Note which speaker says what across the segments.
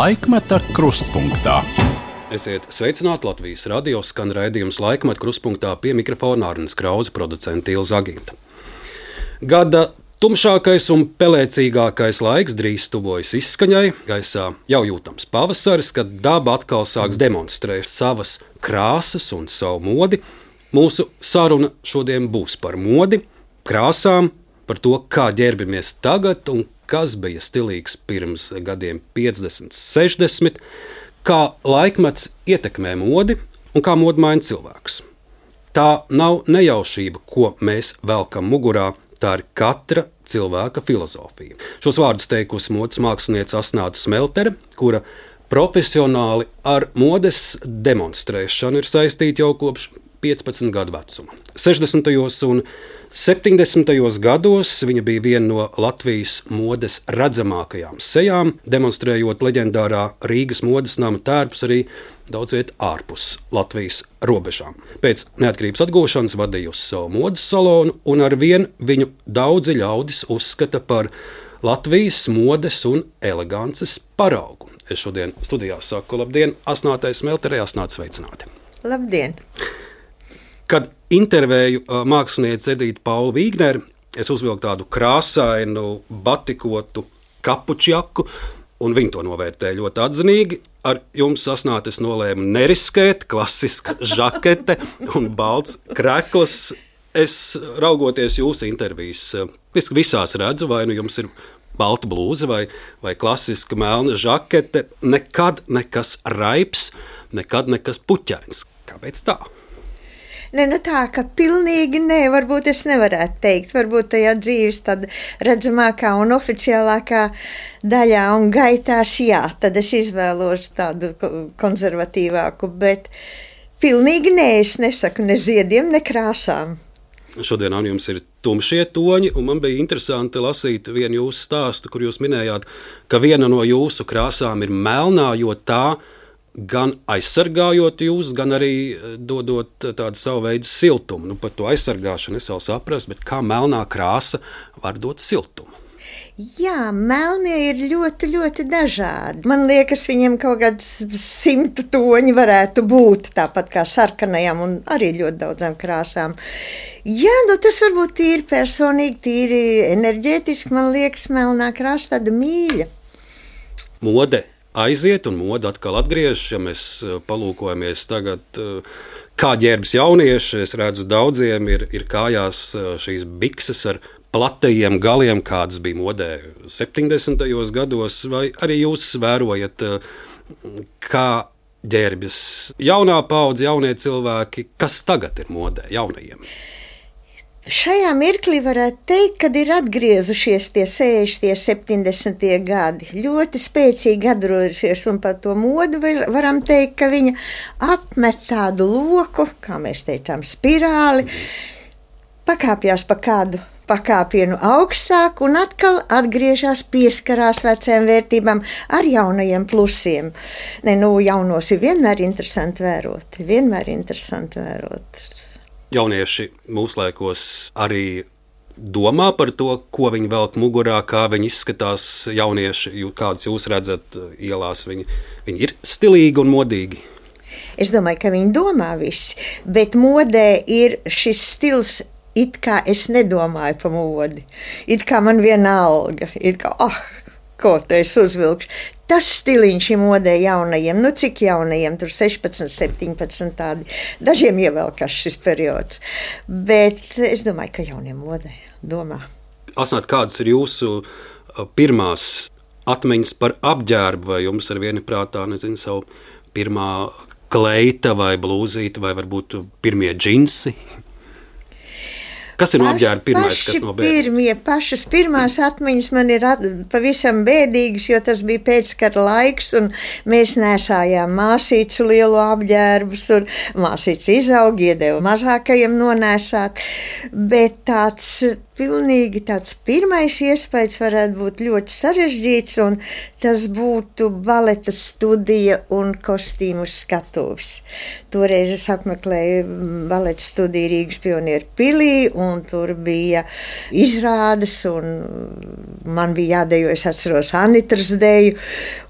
Speaker 1: Laikmeta krustpunktā.
Speaker 2: Esiet sveicināti Latvijas radio skan raidījums Laikmeta krustpunktā, pie mikrofona Arnis Krause, producente Ilza Aginta. Gada tumšākais un pelēcīgākais laiks drīz tuvojas izskaņai. Gaisā jau jūtams pavasaris, kad daba atkal sāks demonstrēt savas krāsas un savu modi. Mūsu saruna šodien būs par modi, krāsām, par to, kā ģērbamies tagad un kas bija stilīgs pirms gadiem 50, 60, kā laikmets ietekmē modi un kā modi maina cilvēks. Tā nav nejaušība, ko mēs velkam mugurā, tā ir katra cilvēka filozofija. Šos vārdus teikusi modes māksliniece Asnāta Smeltere, kura profesionāli ar modes demonstrēšanu ir saistīta jau kopš 15 gadu vecuma. 60. un 70. gados viņa bija viena no Latvijas modes redzamākajām sejām, demonstrējot leģendārā Rīgas modes nama tērpus arī daudz viet ārpus Latvijas robežām. Pēc neatkarības atgūšanas vadījusi savu modes salonu, un arvien viņu daudzi ļaudis uzskata par Latvijas modes un elegances paraugu. Es šodien studijā saku labdien Asnātai Smelterei. Asnāta, sveicināti!
Speaker 3: Labdien!
Speaker 2: Kad intervēju mākslinieci Edīti Paulu Vīgneri, es uzvilku tādu krāsainu, batikotu kapučjaku, un viņi to novērtēja ļoti atzinīgi. Ar jums, Asnāta, es nolēmu neriskēt, klasiska žakete un balts krekls. Es, raugoties jūsu intervijas, visās redzu, vai nu jums ir balta blūze vai klasiska melna žakete, nekad nekas raips, nekad nekas puķains. Kāpēc tā?
Speaker 3: Ne, tā, ka pilnīgi nē, varbūt es nevarētu teikt. Varbūt tajā dzīves tāda redzamākā un oficiālākā daļā un gaitās, jā, tad es izvēlos tādu konservatīvāku, bet pilnīgi nē, es nesaku ne ziediem, ne krāsām.
Speaker 2: Šodien jums ir tumšie toņi, un man bija interesanti lasīt vienu jūsu stāstu, kur jūs minējāt, ka viena no jūsu krāsām ir melnā, jo tā gan aizsargājot jūs, gan arī dodot tādu savu veidu siltumu. Par to aizsargāšanu es vēl saprastu, bet kā melnā krāsa var dot siltumu?
Speaker 3: Jā, melnie ir ļoti, ļoti dažādi. Man liekas, viņiem kaut kāds 100 toņi varētu būt, tāpat kā sarkanajām un arī ļoti daudzām krāsām. Jā, tas varbūt tīri personīgi, tīri enerģētiski, man liekas, melnā krāsa tāda mīļa.
Speaker 2: Mode aiziet un mode atkal atgriežas. Ja mēs palūkojamies tagad, kā ģērbjas jaunieši, es redzu, daudziem ir kājās šīs bikses ar platajiem galiem, kādas bija modē 70. gados, vai arī jūs vērojat, kā ģērbjas jaunā paudze, jaunie cilvēki, kas tagad ir modē jaunajiem?
Speaker 3: Šajā mirklī varētu teikt, kad ir atgriezušies tie 60, 70 gadi. Ļoti spēcīgi atgriezušies, un par to modu varam teikt, ka viņa apmet tādu loku, kā mēs teicām, spirāli, pakāpjās pa kādu pakāpienu augstāk un atkal atgriežas, pieskarās vecajām vērtībām ar jaunajiem plusiem. Jaunos ir vienmēr interesanti vērot.
Speaker 2: Jaunieši mūsdienās arī domā par to, ko viņi velk mugurā, kā viņi izskatās jaunieši, kādus jūs redzat ielās. Viņi ir stilīgi un modīgi.
Speaker 3: Es domāju, ka viņi domā visi, bet modē ir šis stils. It kā es nedomāju par modi, it kā man vienalga, it kā, ko te es uzvilkšu. Tas stiliņš ir modē jaunajiem, cik jaunajiem, tur 16, 17 tādi, dažiem ievelkas šis periods, bet es domāju, ka jauniem modē domā.
Speaker 2: Asnāt, kādas ir jūsu pirmās atmiņas par apģērbu, vai jums ar vienu prātā, savu pirmā kleita vai blūzīte, vai varbūt pirmie džinsi? Kas ir no apģērba pirmais, kas no bērnības?
Speaker 3: Pašas pirmās atmiņas man ir pavisam bēdīgas, jo tas bija pēckara laiks, un mēs nesājām māsīcu lielu apģērbus, un māsīca izauga, iedeva mazākajiem nonēsāt, bet tāds pilnīgi tāds pirmais iespējas varētu būt ļoti sarežģīts, un tas būtu baleta studija un kostīmu skatuves. Toreiz es apmeklēju baleta studiju Rīgas Pionieru pilī, un tur bija izrādes, un man bija jādejo, es atceros Anitras deju,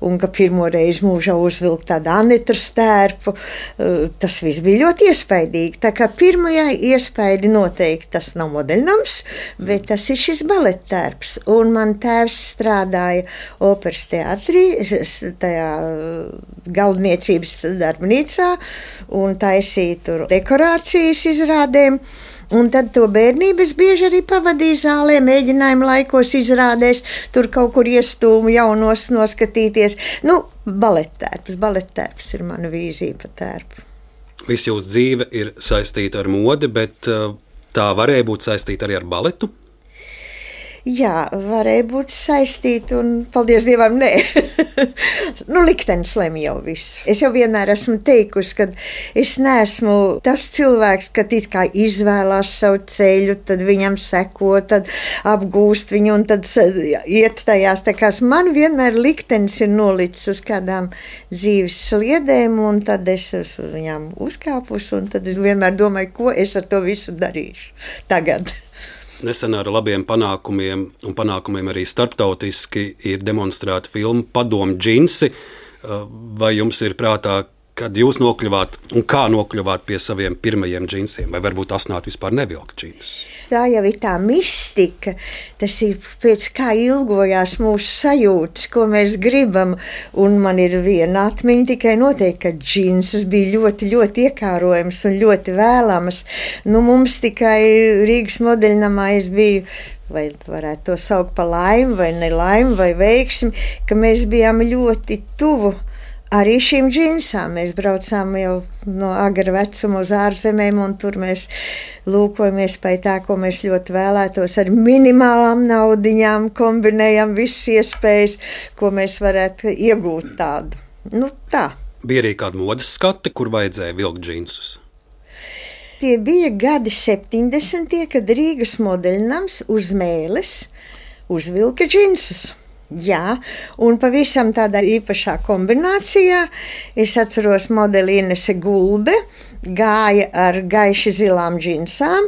Speaker 3: un ka pirmo reizi mūžā uzvilkt tādu Anitras tērpu. Tas viss bija ļoti iespaidīgi. Tā kā pirmajā iespaidi noteikti tas nav modeļnams, bet tas ir šis balettērps. Un man tēvs strādāja operas teātrī, tajā galdniecības darbnīcā, un taisīja tur dekorācijas izrādēm. Un tad to bērnību es bieži arī pavadīju zālē, mēģinājumu laikos izrādēs, tur kaut kur iestūmu jaunos noskatīties. Balettērps ir mana vīzija pa tērpu.
Speaker 2: Viss jūsu dzīve ir saistīta ar modi, bet tā varēja būt saistīta arī ar baletu?
Speaker 3: Jā, varēja būt saistīta, un paldies Dievam, nē. Liktenis lemj jau visu. Es jau vienmēr esmu teikusi, ka es neesmu tas cilvēks, kad it kā izvēlās savu ceļu, tad viņam seko, tad apgūst viņu un tad iet tajās. Tā kā man vienmēr liktenis ir nolicis uz kādām dzīves sliedēm, un tad es uz viņām uzkāpus, un tad es vienmēr domāju, ko es ar to visu darīšu tagad.
Speaker 2: Nesen ar labiem panākumiem, un panākumiem arī starptautiski, ir demonstrēta filma Padomu džinsi. Vai jums ir prātā, kad jūs nokļuvāt un kā nokļuvāt pie saviem pirmajiem džinsiem? Vai varbūt Asnāta vispār nevilka džinsus?
Speaker 3: Tā jau ir tā mistika, tas ir pēc kā ilgojās mūsu sajūtas, ko mēs gribam, un man ir viena atmiņa tikai noteikti, ka džinsas bija ļoti, ļoti iekārojams un ļoti vēlamas. Mums tikai Rīgas modeļnamā es biju, vai varētu to saukt par laimi, vai nelaimi, vai veiksmi, ka mēs bijām ļoti tuvu arī šīm džinsām. Mēs braucām jau no agra vecuma uz ārzemēm, un tur mēs lūkojamies pēc tā, ko mēs ļoti vēlētos. Ar minimālām naudiņām kombinējam visas iespējas, ko mēs varētu iegūt tādu. Tā.
Speaker 2: Bija arī kāda modes skate, kur vajadzēja vilkt džinsus?
Speaker 3: Tie bija gadi 70. kad Rīgas modeļnams uz mēles uzvilka džinsus. Jā, un pavisam tādā īpašā kombinācijā. Es atceros modeli Inese Gulbe, gāja ar gaiši zilām džinsām,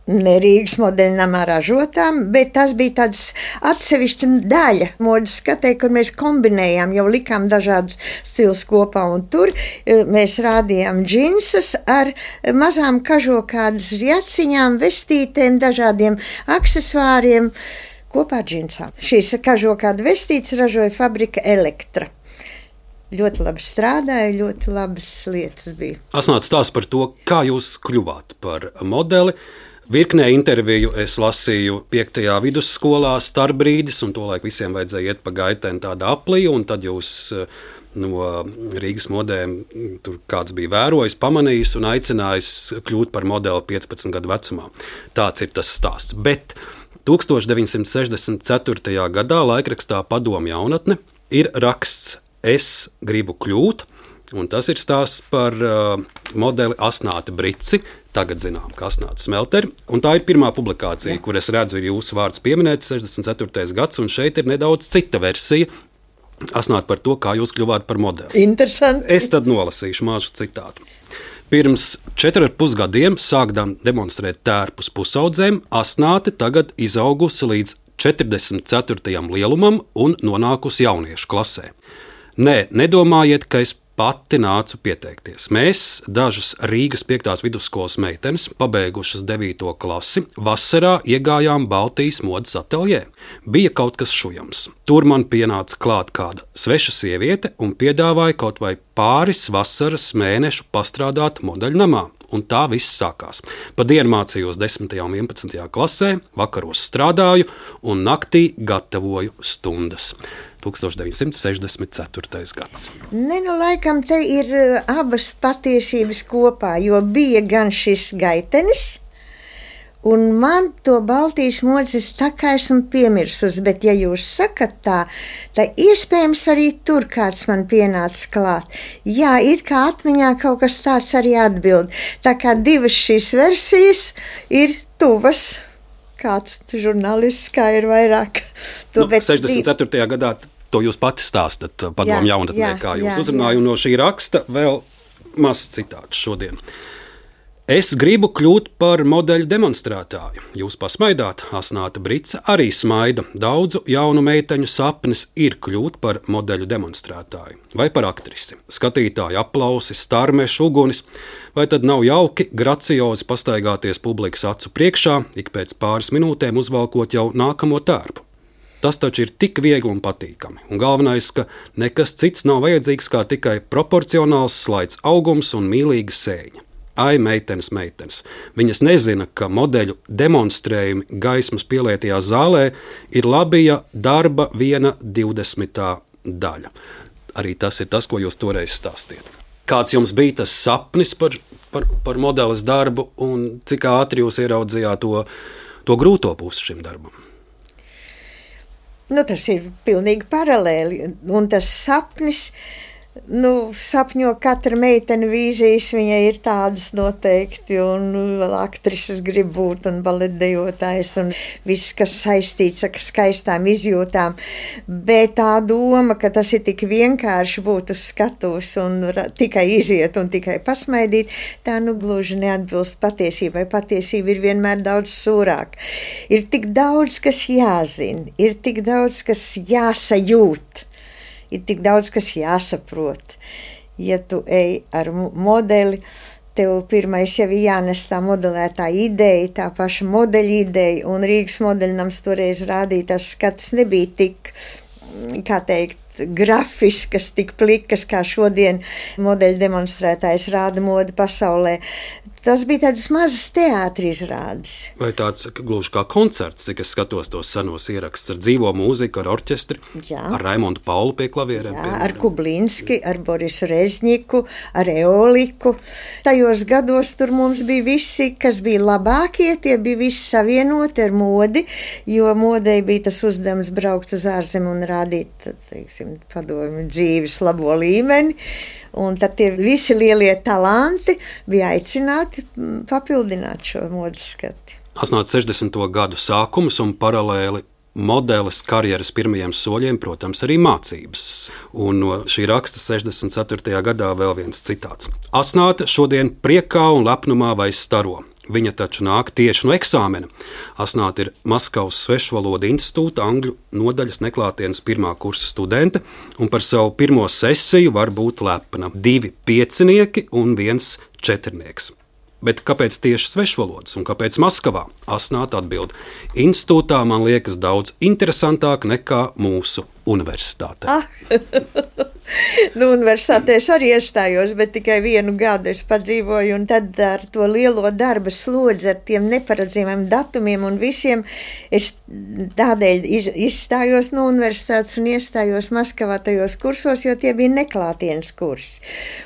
Speaker 3: ne Rīgas modeļnamā ražotām, bet tas bija tāds atsevišķa daļa modes skatē, kur mēs kombinējām, jau likām dažādus stilus kopā, un tur mēs rādījām džinsas ar mazām kažokādas jaciņām, vestītēm, dažādiem aksesuāriem, kopā ar džinsām. Šīs kažokāda vestītes ražoja fabrika Elektra. Ļoti labi strādāja, ļoti labas lietas bija.
Speaker 2: Asnāta stāsta par to, kā jūs kļuvāt par modeli. Virknē interviju es lasīju 5. vidusskolā Starbrīdis, un tolaik visiem vajadzēja iet pa gaitēm tāda aplī, un tad jūs no Rīgas modēm tur kāds bija vērojis, pamanījis un aicinājis kļūt par modeli 15 gadu vecumā. Tāds ir tas stāsts. Bet 1964. gadā laikrakstā Padomu jaunatne ir raksts Es gribu kļūt, un tas ir stāsts par modeli Asnāti Brici, tagad zinām, ka Asnāta Smelteri, un tā ir pirmā publikācija, kur es redzu, ir jūsu vārds pieminēts, 64. gads, un šeit ir nedaudz cita versija. Asnāta par to, kā jūs kļuvāt par modeli.
Speaker 3: Interesanti.
Speaker 2: Es tad nolasīšu mazu citātu. Pirms 4,5 gadiem sākdam demonstrēt tērpus pusaudzēm, Asnāte tagad izaugusi līdz 44. lielumam un nonākusi jauniešu klasē. Nē, nedomājiet, ka es pati nācu pieteikties. Mēs, dažas Rīgas 5. vidusskolas meitenes, pabeigušas 9. klasi, vasarā iegājām Baltijas modes ateljē. Bija kaut kas šujams. Tur man pienāca klāt kāda sveša sieviete un piedāvāja kaut vai pāris vasaras mēnešu pastrādāt modeļnamā. Un tā viss sākās. Pa dienu mācījos 10. un 11. klasē, vakaros strādāju un naktī gatavoju stundas. 1964. gads.
Speaker 3: Laikam te ir abas patiesības kopā, jo bija gan šis gaitenis, un man to Baltijas modes tā kā esmu piemirsus, bet ja jūs sakat tā iespējams arī tur kāds man pienāca klāt. Jā, it kā atmiņā kaut kas tāds arī atbild. Tā kā divas šīs versijas ir tuvas, kāds žurnālists, kā ir vairāk.
Speaker 2: To, 64. gadā to jūs pati stāstat padomu jaunatnē, kā jūs uzrunāju, un no šī raksta vēl mazs citāts šodien. Es gribu kļūt par modeļu demonstrētāju. Jūs pasmaidāt, Asnāta Brice arī smaida. Daudzu jaunu meiteņu sapnis ir kļūt par modeļu demonstrētāju vai par aktrisi. Skatītāju aplausi, starmeši, ugunis. Vai tad nav jauki graciozi pastaigāties publikas acu priekšā, ik pēc pāris minūtēm uzvalkot jau nākamo tērpu? Tas taču ir tik viegli un patīkami. Un galvenais, ka nekas cits nav vajadzīgs kā tikai proporcionāls slaids augums un mīlīga sēņa. Ai, meitenes. Viņas nezina, ka modeļu demonstrējumi gaismas pielietajā zālē ir labija darba 1/20 daļa. Arī tas ir tas, ko jūs toreiz stāstījāt. Kāds jums bija tas sapnis par modeles darbu un cik ātri jūs ieraudzījāt to grūto pusi šim darbam?
Speaker 3: Tas ir pilnīgi paralēli. Un tas sapnis, sapņo katra meitene vīzijas, viņai ir tādas noteikti, un vēl aktrises grib būt, un baletdejotājs, un viss, kas saistīts ar skaistām izjūtām. Bet tā doma, ka tas ir tik vienkārši būt uz skatuves un tikai iziet un tikai pasmaidīt, tā gluži neatbilst patiesībai. Patiesība ir vienmēr daudz sūrāk. Ir tik daudz, kas jāzina, ir tik daudz, kas jāsajūt. Ir tik daudz, kas jāsaprot. Ja tu ej ar modeli, tev pirmais jau ir jānes tā modelētā ideja, tā paša modeļa ideja, un Rīgas modeļnams toreiz rādīja, tas skats nebija tik, kā teikt, grafiskas, tik plikas, kā šodien modeļu demonstrētājs rāda modu pasaulē. Tas bija tādas mazas teātri izrādes.
Speaker 2: Vai tāds gluži kā koncerts, cik es skatos tos senos ierakstus ar dzīvo mūziku, ar orķestri, ar Raimondu Paulu pie klavierēm?
Speaker 3: Jā, ar Kublinski, ar Borisu Rezņiku, ar Eoliku. Tajos gados tur mums bija visi, kas bija labākie, tie bija visi savienoti ar modi, jo modei bija tas uzdevums braukt uz ārzemi un rādīt, teiksim, padomju dzīves labo līmeni. Un tad tie visi lielie talanti bija aicināti papildināt šo modes skati.
Speaker 2: Asnāt 60. gadu sākums un paralēli modeles karjeras pirmajiem soļiem, protams, arī mācības. Un no šī raksta 64. gadā vēl viens citāts. Asnāta šodien priekā un lepnumā vai staro. Viņa taču nāk tieši no eksāmena. Asnāta ir Maskavas Svešvalodu institūta angļu nodaļas neklātienes 1. kursa studente, un par savu pirmo sesiju var būt lepna 2 piecinieki un 1 četrnieks. Bet kāpēc tieši svešvalodas un kāpēc Maskavā? Asnāta atbild: institūtā man liekas daudz interesantāk nekā mūsu universitātē.
Speaker 3: Universitātē es arī iestājos, bet tikai 1 gadu es padzīvoju, un tad ar to lielo darba slodzi, ar tiem neparedzamiem datumiem un visiem, es tādēļ izstājos no universitātes un iestājos Maskavā tajos kursos, jo tie bija neklātienes kursi.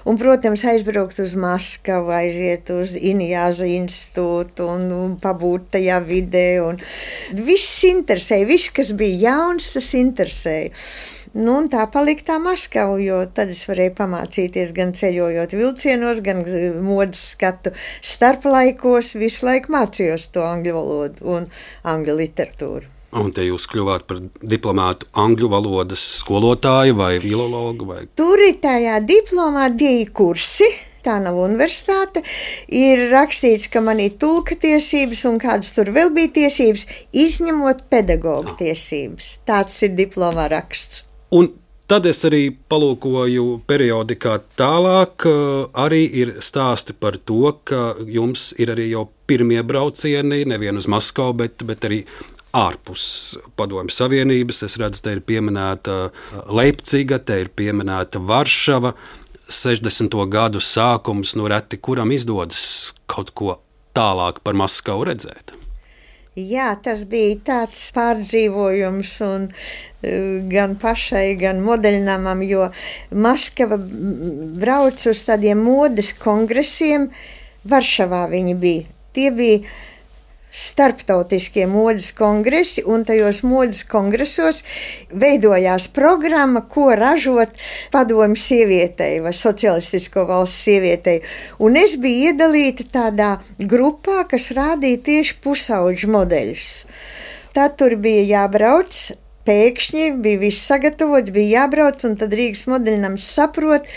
Speaker 3: Un, protams, aizbraukt uz Maskavu, aiziet uz Injāza institūtu un pabūt tajā vidē. Un viss interesēja, viss, kas bija jauns, tas interesēja. Un tā palika tā Maskava, jo tad es varēju pamācīties gan ceļojot vilcienos, gan modes skatu starplaikos. Visu laiku mācījos to angļu valodu un angļu literatūru.
Speaker 2: Un te jūs kļuvāt par diplomātu angļu valodas skolotāju vai filologu?
Speaker 3: Tur ir tajā diplomā 2 kursi. Tā nav universitāte. Ir rakstīts, ka man ir tulka tiesības un kādas tur vēl bija tiesības, izņemot pedagoga tiesības. Tāds ir diplomā raksts.
Speaker 2: Un tad es arī palūkoju periodikā tālāk, arī ir stāsti par to, ka jums ir arī jau pirmie braucieni, nevien uz Maskavu, bet arī ārpus Padomju Savienības. Es redzu, te ir pieminēta Leipciga, te ir pieminēta Varšava. 60. gadu sākums, reti kuram izdodas kaut ko tālāk par Maskavu redzēt.
Speaker 3: Jā, tas bija tāds pārdzīvojums un gan pašai, gan modeļnamam, jo Maskava brauc uz tādiem modes kongresiem. Varšavā viņi bija. Tie bija starptautiskie modes kongresi, un tajos modes kongresos veidojās programma, ko ražot padomju sievietei vai socialistisko valsts sievietei. Un es biju iedalīta tādā grupā, kas rādīja tieši pusauģu modeļus. Tad tur bija jābrauc. Pēkšņi bija viss sagatavots, bija jābrauc, un tad Rīgas modeļnams saprot,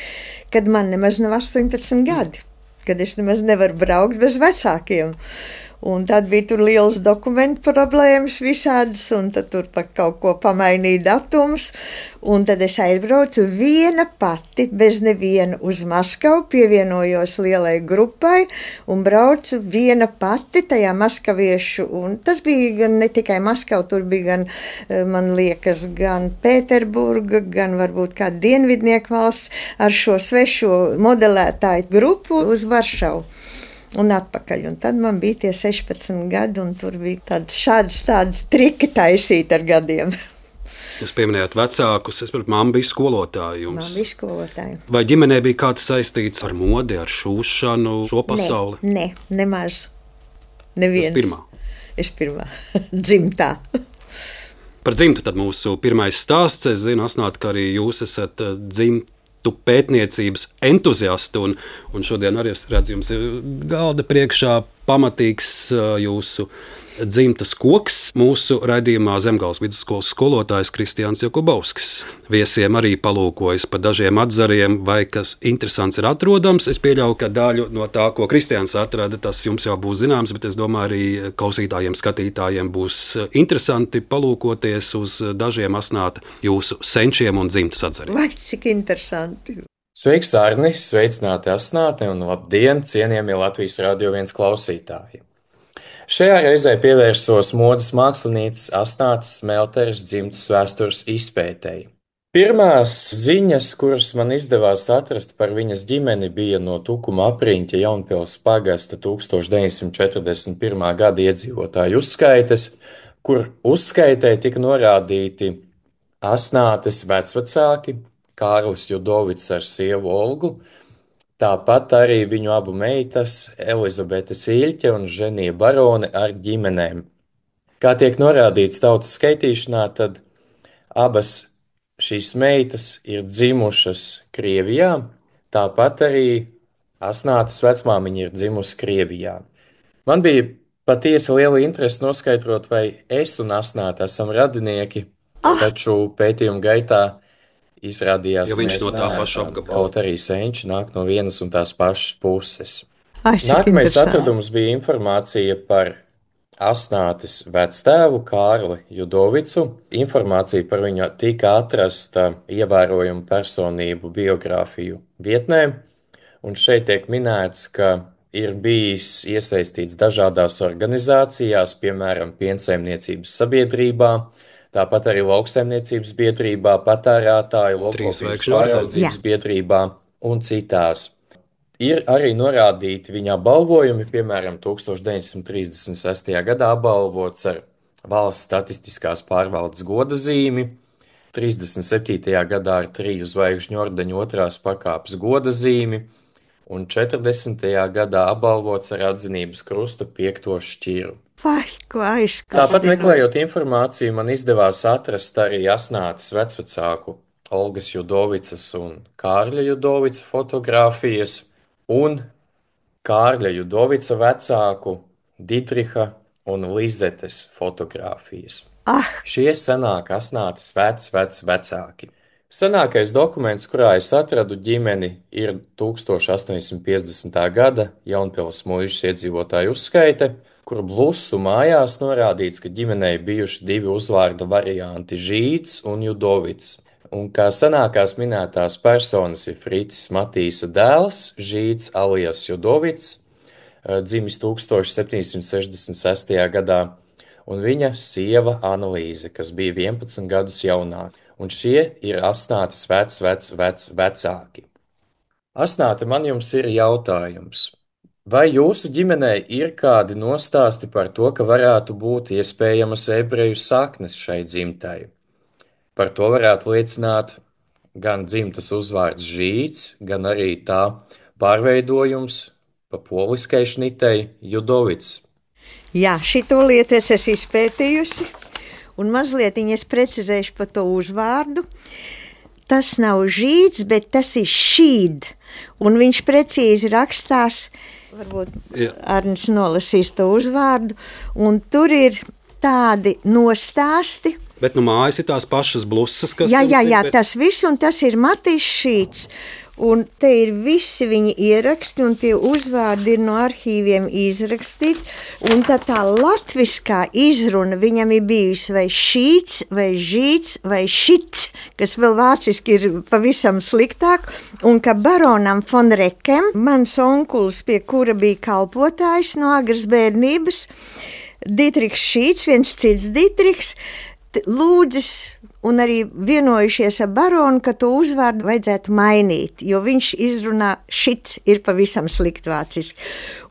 Speaker 3: kad man nemaz nav 18 gadi, kad es nemaz nevaru braukt bez vecākiem. Un tad bija tur liels dokumentu problēmas visādas, un tad tur pa kaut ko pamainīja datums. Un tad es aizbraucu viena pati, bez neviena uz Maskavu, pievienojos lielai grupai un braucu viena pati tajā maskaviešu. Un tas bija gan ne tikai Maskava, tur bija gan, man liekas, gan Pēterburga, gan varbūt kāda dienvidnieku valsts ar šo svešo modelētāju grupu uz Varšavu. Un atpakaļ. Un tad man bija tie 16 gadi, un tur bija tādi triki taisīt ar gadiem.
Speaker 2: Jūs pieminējāt vecākus, es saprotu, mamma bija skolotāja jums.
Speaker 3: Man bija skolotāja.
Speaker 2: Vai ģimenē bija kāds saistīts ar modi, ar šūšanu, šo pasauli?
Speaker 3: Nē, nemaz. Neviens.
Speaker 2: Pirmā.
Speaker 3: Es pirmā. Dzimtā.
Speaker 2: Par dzimtu tad mūsu pirmais stāsts. Es zinu, Asnāt, ka arī jūs esat dzimta pētniecības entuziasti, un šodien arī es redzu, jums ir galda priekšā pamatīgs jūsu dzimtas koks. Mūsu raidījumā Zemgales vidusskolas skolotājs Kristiāns Jakubovskis viesiem arī palūkojas pa dažiem atzariem, vai kas interesants ir atrodams. Es pieļauju, ka daļu no tā, ko Kristiāns atrada, tas jums jau būs zināms, bet es domāju, arī klausītājiem, skatītājiem būs interesanti palūkoties uz dažiem Asnāta jūsu senčiem un dzimtas atzariem.
Speaker 3: Vai cik interesanti!
Speaker 4: Sveiks, Arni! Sveicināti Asnāti un labdien, cienījamie Latvijas Radio 1 klausītāji! Šajā reizē pievērsos modes mākslinītes Asnātes Smelteres dzimtas vēstures izpētei. Pirmās ziņas, kuras man izdevās atrast par viņas ģimeni, bija no Tukuma apriņķa Jaunpils pagasta 1941. Gada iedzīvotāju uzskaites, kur uzskaitē tika norādīti Asnātes vecvecāki, Kārlis Judovits ar sievu Olgu, tāpat arī viņu abu meitas, Elizabete Sīļķe un Ženija Barone ar ģimenēm. Kā tiek norādīts tautas skaitīšanā, tad abas šīs meitas ir dzimušas Krievijā, tāpat arī Asnātes vecmāmiņa ir dzimusi Krievijā. Man bija patiesi liela interese noskaidrot, vai es un Asnāte esam radinieki, taču pētījuma gaitā izrādījās,
Speaker 2: ka viņš no tā paša apgabala.
Speaker 4: Kaut arī senči nāk no vienas un tās pašas puses.
Speaker 3: Cik
Speaker 4: Nākamais
Speaker 3: interesanti.
Speaker 4: atradums bija informācija par Asnātes vectēvu Kārli Judovicu. Informācija par viņu tika atrasta ievērojumu personību biogrāfiju vietnē, un šeit tiek minēts, ka ir bijis iesaistīts dažādās organizācijās, piemēram, piensaimniecības sabiedrībā, tāpat arī lauksaimniecības biedrībā, patērētāju lopkopības pāraudzības biedrībā un citās. Ir arī norādīti viņa apbalvojumi, piemēram, 1936. gadā apbalvots ar Valsts statistiskās pārvaldes goda zīmi, 37. gadā ar 3 zvaigžņu ordeņu 2. pakāpes goda zīmi un 40. gadā apbalvots ar atzinības krusta 5. šķiru.
Speaker 3: Vai, ko aizskatīt?
Speaker 4: Tāpat meklējot informāciju, man izdevās atrast arī Asnātes vecvecāku Olgas Judovicas un Kārļa Judovica fotogrāfijas un Kārļa Judovica vecāku Didriha un Lizetes fotogrāfijas. Šie sanāk Asnātes vecāki. Senākais dokuments, kurā es atradu ģimeni, ir 1850. gada Jaunpils muižas iedzīvotāju uzskaite, kur blusu mājās norādīts, ka ģimenei bijuši 2 uzvārda varianti Žīds un Judovits, un kā senākās minētās personas ir Fricis Matīsa dēls, Žīds alias Judovits, dzimis 1766. gadā, un viņa sieva Analīze, kas bija 11 gadus jaunāka, un šie ir Asnātes vecāki. Asnāte, man jums ir jautājums. Vai jūsu ģimenē ir kādi nostāsti par to, ka varētu būt iespējamas ebreju saknes šai dzimtai? Par to varētu liecināt gan dzimtas uzvārds Žīds, gan arī tā pārveidojums pa poliskai šnitei Judovits.
Speaker 3: Jā, šito lietu es esmu izpētījusi, un mazliet es precizēšu par to uzvārdu. Tas nav žīds, bet tas ir šīd, un viņš precīzi rakstās, varbūt Arnis nolasīs to uzvārdu, un tur ir tādi nostāsti.
Speaker 2: Bet nu mājas ir tās pašas blusas, kas...
Speaker 3: Jā, tas viss, un tas ir Matis Šīds. Un te ir visi viņi ieraksti, un tie uzvārdi ir no arhīviem izrakstīti. Un tā latviskā izruna viņam ir bijusi vai šīts, vai žīts, vai šits, kas vēl vāciski ir pavisam sliktāk. Un ka baronam von Rekem, mans onkulis, pie kura bija kalpotājs no agras bērnības, Dietrichs Šīts, viens cits Dietrichs, lūdzis un arī vienojušies ar baronu, ka to uzvārdu vajadzētu mainīt, jo viņš izrunā šits ir pavisam slikt vāciski.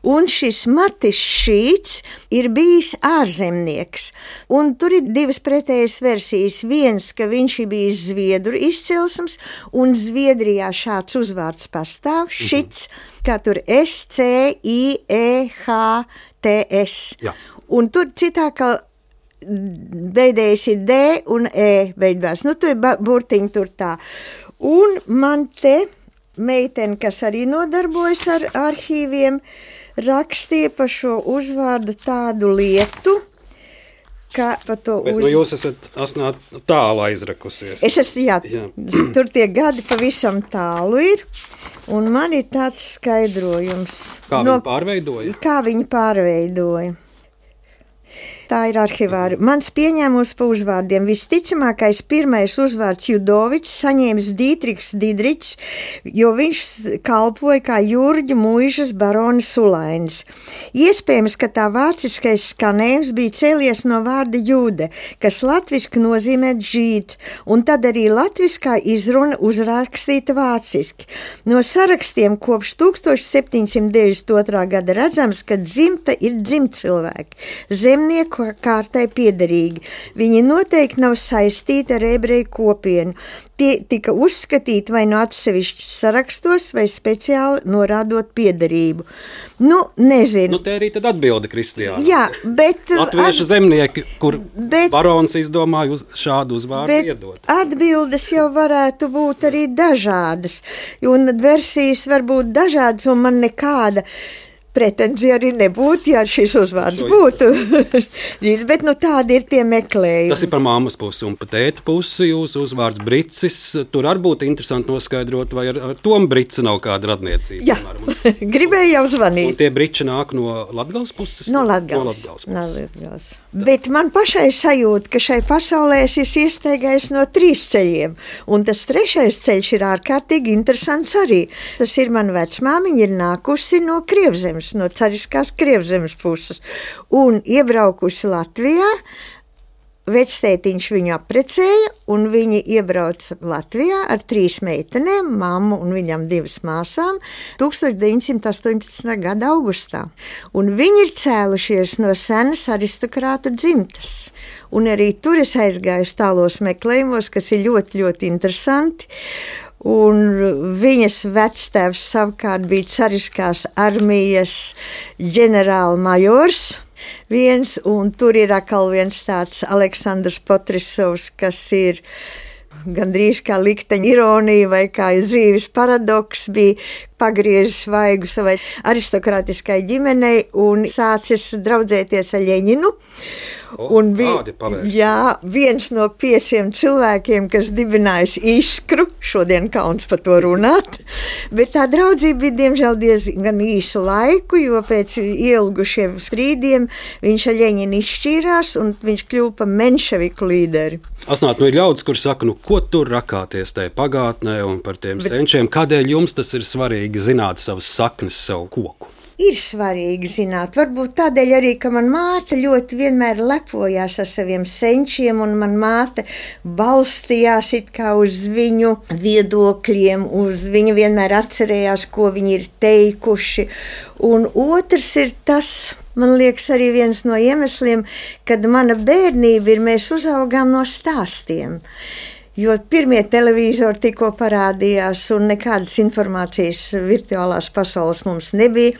Speaker 3: Un šis Matis Šīts ir bijis ārzemnieks, un tur ir divas pretējas versijas. Viens, ka viņš ir bijis zviedru izcelsmes, un Zviedrijā šāds uzvārds pastāv, šits, kā tur S-C-I-E-H-T-S.
Speaker 2: Jā.
Speaker 3: Un tur citā, ka beidējis ir D un E beidās. Nu, tur ir burtiņi tur tā. Un man te meitene, kas arī nodarbojas ar arhīviem, rakstīja par šo uzvārdu tādu lietu, ka pa to
Speaker 2: Bet nu jūs esat asnāt tālu aizrakusies.
Speaker 3: Es esmu, jā. Tur tie gadi pavisam tālu ir. Un man ir tāds skaidrojums.
Speaker 2: Kā viņi pārveidoja? Tā ir arhivāri. Mans pieņēmums pa uzvārdiem. Visticamākais pirmais uzvārds Judovičs saņēmis Dietrichs Didričs, jo viņš kalpoja kā Jurģu muižas baronis Sulainis. Iespējams, ka tā vāciskais skanējums bija cēlies no vārda jūde, kas latviski nozīmē žīt, un tad arī latviskā izruna uzrakstīta vāciski. No sarakstiem kopš 1792. Gada redzams, ka dzimta ir dzimtcilvēki, zemnieku kārtai piederīgi. Viņi noteikti nav saistīti ar ebreju kopienu. Tie tika uzskatīti vai no atsevišķi sarakstos, vai speciāli norādot piederību. Nu, nezinu. Nu, te arī tad atbilde Kristiāna.
Speaker 3: Jā, bet...
Speaker 2: Latviešu zemnieki, kur barons izdomāja šādu uzvārdu iedot.
Speaker 3: Atbildes jau varētu būt arī dažādas, un versijas var būt dažādas, un man nekāda pretenzija arī nebūtu, ja šis uzvārds būtu. Bet nu, tādi ir tie meklējumi.
Speaker 2: Tas ir par mammas pusi un par tēta pusi. Jūsu uzvārds Bricis. Tur arī būtu interesanti noskaidrot, vai ar Tomu Brici nav kāda radniecība.
Speaker 3: Jā, gribēju jau zvanīt.
Speaker 2: Un tie Briči nāk no Latgales puses?
Speaker 3: No Latgales puses. Bet man pašai sajūta, ka šai pasaulē es iestaigājos no 3 ceļiem. Un tas 3. ceļš ir ārkārtīgi interesants arī. Tas ir man vecmāmiņa ir nākusi no Krievzemes, no cariskās Krievzemes puses, un iebraukusi Latvijā. Vectētiņš viņu apprecēja, un viņi iebrauca Latvijā ar 3 meitenēm, mammu un viņam 2 māsām, 1918. gada augustā. Un viņi ir cēlušies no senas aristokrāta dzimtas. Un arī tur es aizgāju tālos meklējumos, kas ir ļoti, ļoti interesanti. Un viņas vectēvs savukārt bija cariskās armijas ģenerālmajors viens, un tur ir atkal viens tāds Aleksandrs Potrisovs, kas ir gandrīz kā likteņa ironija vai kā dzīves paradoks, bija pagriezis vaigu savai aristokrātiskai ģimenei un sācis draudzēties ar Ļeņinu. Un bija viens no 5 cilvēkiem, kas dibinājis Iskru, šodien kauns par to runāt, bet tā draudzība bija diemžēl diezgan īsu laiku, jo pēc ielgušiem strīdiem viņš ar Ļeņinu izšķīrās un viņš kļuva par menševiku līderi.
Speaker 2: Asnāt, ir ļaudis, kur saka, ko tur rakāties tajā pagātnē un par tiem senčiem, kādēļ jums tas ir svarīgi zināt savas saknes, savu koku?
Speaker 3: Ir svarīgi zināt, varbūt tādēļ arī, ka man māte ļoti vienmēr lepojās ar saviem senčiem, un man māte balstījās it kā uz viņu viedokļiem, viņa vienmēr atcerējās, ko viņi ir teikuši. Un otrs ir tas, man liekas, arī viens no iemesliem, kad mana bērnība ir, mēs uzaugām no stāstiem. Jo pirmie televizori tikko parādījās un nekādas informācijas virtuālās pasaules mums nebija.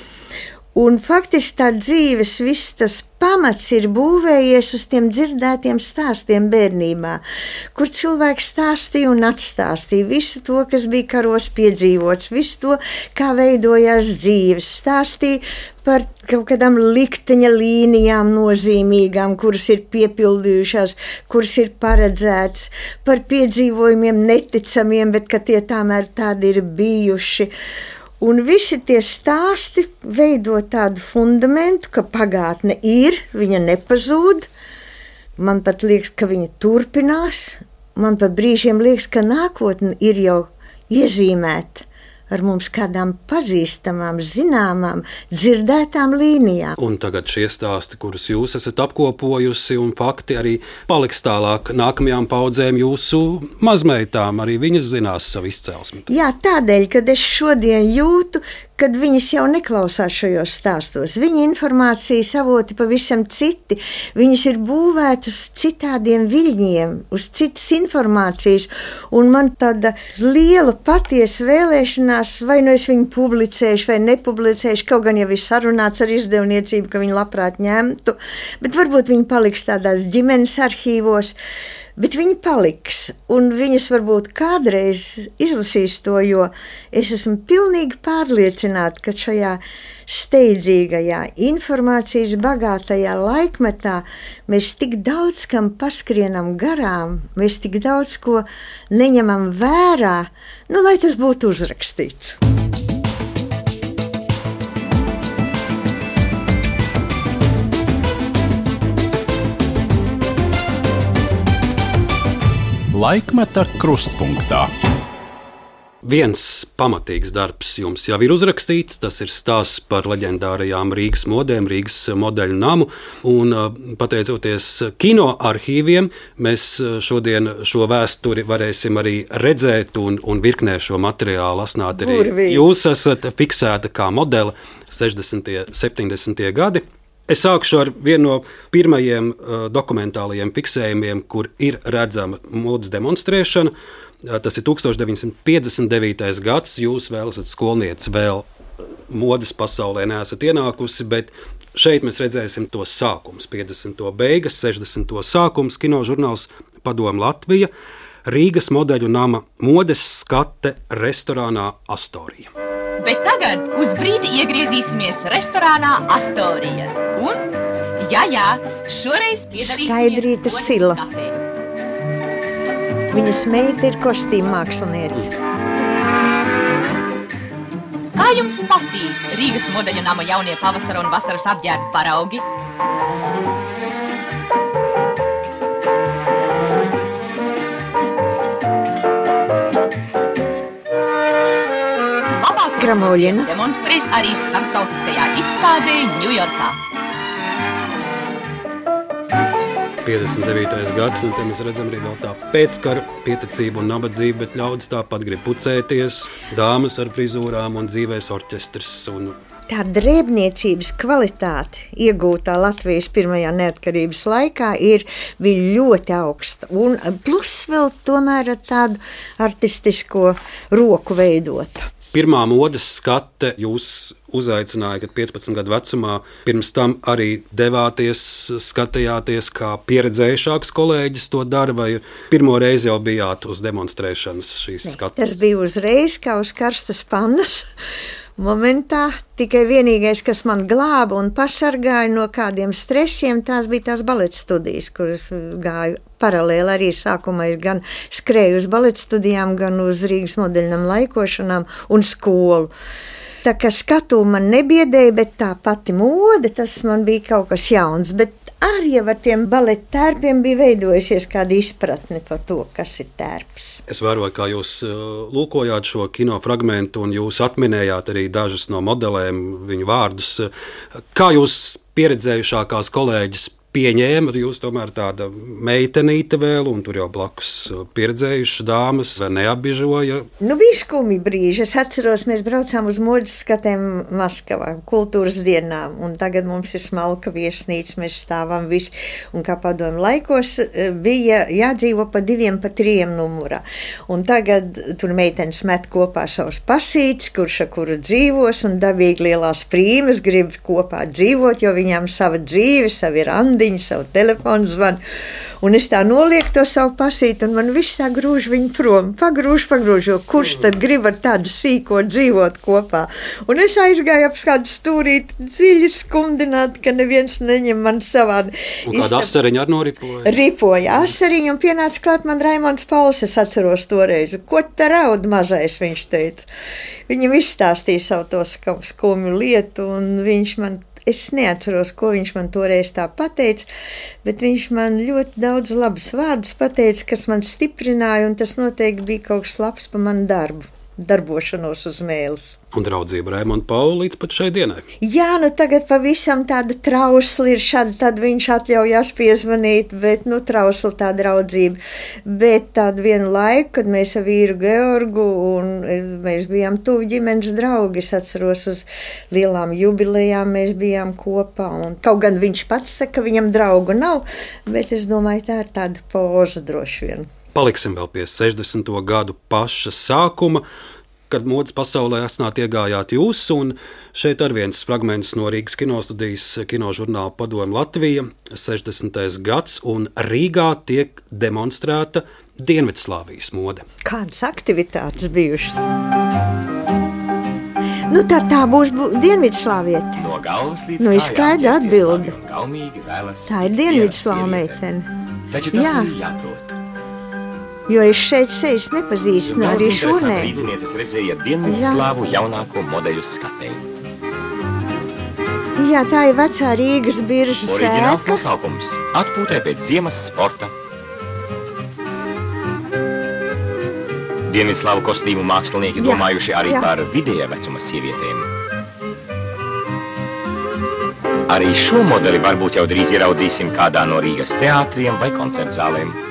Speaker 3: Un faktiski tā dzīves viss tas pamats ir būvējies uz tiem dzirdētiem stāstiem bērnībā, kur cilvēks stāstīja un atstāstīja visu to, kas bija karos piedzīvots, visu to, kā veidojās dzīves, stāstīja par kaut kādām likteņa līnijām nozīmīgām, kuras ir piepildījušās, kuras ir paredzētas, par piedzīvojumiem neticamiem, bet ka tie tomēr tādi ir bijuši. Un visi tie stāsti veido tādu fundamentu, ka pagātne ir, viņa nepazūd. Man pat liekas, ka viņa turpinās. Man pat brīžiem liekas, ka nākotne ir jau iezīmēta ar mums kādām pazīstamām, zināmām, dzirdētām līnijām.
Speaker 2: Un tagad šie stāsti, kurus jūs esat apkopojusi, un fakti arī paliks tālāk nākamajām paudzēm, jūsu mazmeitām, arī viņas zinās savu izcelsmi.
Speaker 3: Jā, tādēļ, kad es šodien jūtu, kad viņas jau neklausās šajos stāstos. Viņa informācijas avoti pavisam citi. Viņas ir būvētas uz citādiem viļņiem, uz citas informācijas, un man tāda liela patiesa vēlēšanās, vai nu es viņu publicēšu vai nepublicēšu, kaut gan jau ir sarunāts ar izdevniecību, ka viņi labprāt ņemtu, bet varbūt viņi paliks tādās ģimenes arhīvos. Bet viņi paliks, un viņas varbūt kādreiz izlasīs to, jo es esmu pilnīgi pārliecināta, ka šajā steidzīgajā, informācijas bagātajā laikmetā mēs tik daudz kam paskrienam garām, mēs tik daudz ko neņemam vērā, lai tas būtu uzrakstīts.
Speaker 1: Laikmeta krustpunktā.
Speaker 2: Viens pamatīgs darbs jums jau ir uzrakstīts, tas ir stāsts par leģendārajām Rīgas modēm, Rīgas modeļu namu, un pateicoties kino arhīviem, mēs šodien šo vēsturi varēsim arī redzēt un virknē šo materiālu asnāt arī.
Speaker 3: Burvīgi.
Speaker 2: Jūs esat fiksēta kā modele 60. 70. gadi. Es sākšu ar vienu no pirmajiem dokumentālajiem fiksējumiem, kur ir redzama modes demonstrēšana. Tas ir 1959. gads. Jūs vēl esat skolniece, vēl modes pasaulē neesat ienākusi, bet šeit mēs redzēsim tos sākums. 50. beigas, 60. sākums, kinožurnāls Padomu Latvija, Rīgas modeļu nama modes skate restorānā Astorija.
Speaker 5: Bet tagad uz brīdi iegriezīsimies restorānā Astorija. Un, jā, šoreiz piedalīsimies
Speaker 3: Skaidrīta
Speaker 5: modes
Speaker 3: Sila.
Speaker 5: skatē.
Speaker 3: Viņas meita ir kostīma māksliniece.
Speaker 5: Kā jums patīk Rīgas modeļu nama jaunie pavasara un vasaras apģērbu paraugi?
Speaker 3: Gramoļina
Speaker 5: demonstrēs arī starptautiskajā izstādē Ņujorkā.
Speaker 2: 59. gads, un te mēs redzam arī vēl tā pēckara pieticība un nabadzība, bet ļaudis tāpat grib pucēties, dāmas ar frizūrām un dzīvēs orķestrs.
Speaker 3: Tā drēbniecības kvalitāte iegūtā Latvijas pirmajā neatkarības laikā bija ļoti augsta, un plus vēl tomēr ar tādu artistisko roku veidota.
Speaker 2: Pirmā modes skate jūs uzaicināja, kad 15 gadu vecumā, pirms tam arī devāties, skatījāties, kā pieredzējušāks kolēģis to dara, vai pirmo reizi jau bijāt uz demonstrēšanas šīs skates?
Speaker 3: Tas bija uzreiz kā uz karstas pannas. Momentā tikai vienīgais, kas man glāba un pasargāja no kādiem stresiem, tās bija tās baleta studijas, kuras gāju paralēli. Arī sākumā es gan skrēju uz baleta studijām, gan uz Rīgas modeļnam laikošanām un skolu. Tā kā skatu man nebiedēja, bet tā pati mode, tas man bija kaut kas jauns. Bet arī ar tiem baleta tērpiem bija veidojusies kāda izpratne par to, kas ir tērps.
Speaker 2: Es vēroju, kā jūs lūkojāt šo kino fragmentu, un jūs atminējāt arī dažas no modelēm, viņu vārdus. Kā jūs pieredzējušākās kolēģis pieņēma, jūs tomēr tāda meitenīte vēl, un tur jau blakus pieredzējušas dāmas, vai neapbižoja?
Speaker 3: Bija skumji brīži. Es atceros, mēs braucām uz modes skatēm Maskavā, kultūras dienām, un tagad mums ir smalka viesnīca, mēs stāvam visi, un kā padomju laikos bija jādzīvo pa 2, pa 3 numurā. Un tagad tur meitenes met kopā savus pasītes, kurš ar kuru dzīvos, un dabīgi lielās prīmas grib kopā dzīvot, jo viņām sava dzīve, savi randi, savu telefonu zvanu, un es tā nolieku to savu pasīti, un man viss tā grūž viņu prom, pagrūž, jo kurš tad grib ar tādu sīko dzīvot kopā. Un es aizgāju ap kādu stūrīti dziļi skumdināt, ka neviens neņem man savā.
Speaker 2: Un kāda asariņa ar noripoja?
Speaker 3: Ripoja asariņu, un pienāca klāt man Raimonds Pauls, es atceros toreiz. Ko te raud mazais, viņš teica. Viņam izstāstīja savu to skumju lietu, un viņš man es neatceros, ko viņš man toreiz tā pateica, bet viņš man ļoti daudz labus vārdus pateica, kas man stiprināja, un tas noteikti bija kaut kas labs par manu darbošanos uz mēles.
Speaker 2: Un draudzība Raimonda Paula līdz pat šai dienai.
Speaker 3: Jā, tagad pavisam tāda trausla ir šāda, tad viņš atļaujās piezvanīt, bet trausla tā draudzība. Bet tādu vienu laiku, kad mēs ar vīru Georgu, un mēs bijām tuvu ģimenes draugi, es atceros uz lielām jubilejām, mēs bijām kopā, un kaut gan viņš pats saka, ka viņam draugu nav, bet es domāju, tā ir tāda poza droši vien.
Speaker 2: Paliksim vēl pie 60. gadu paša sākuma, kad modes pasaulē esnāt iegājāt jūs, un šeit ar viens fragments no Rīgas kinostudijas kinožurnāla Padomu Latvija, 60. gads, un Rīgā tiek demonstrēta Dienvidslāvijas mode.
Speaker 3: Kādas aktivitātes bijušas? Tā būs Dienvidslāviete.
Speaker 6: No galvas līdz
Speaker 3: ir skaidra atbilde.
Speaker 6: Tā
Speaker 3: Tā ir Dienvidslāvu meitene.
Speaker 6: Taču tas ir jāprot.
Speaker 3: Jo es šeit sejas nepazīstu, arī šurnē.
Speaker 6: Līdzinieces redzēja Dienvidslāvu jaunāko modeļu skatē.
Speaker 3: Jā, tā ir vecā Rīgas biržas
Speaker 6: Oriģināls
Speaker 3: ēka.
Speaker 6: nosaukums – atpūtē pēc ziemas sporta. Dienvidslāvu kostīmu mākslinieki domājuši arī par vidējā vecuma sievietēm. Arī šo modeli varbūt jau drīz ieraudzīsim kādā no Rīgas teātriem vai koncertzālēm.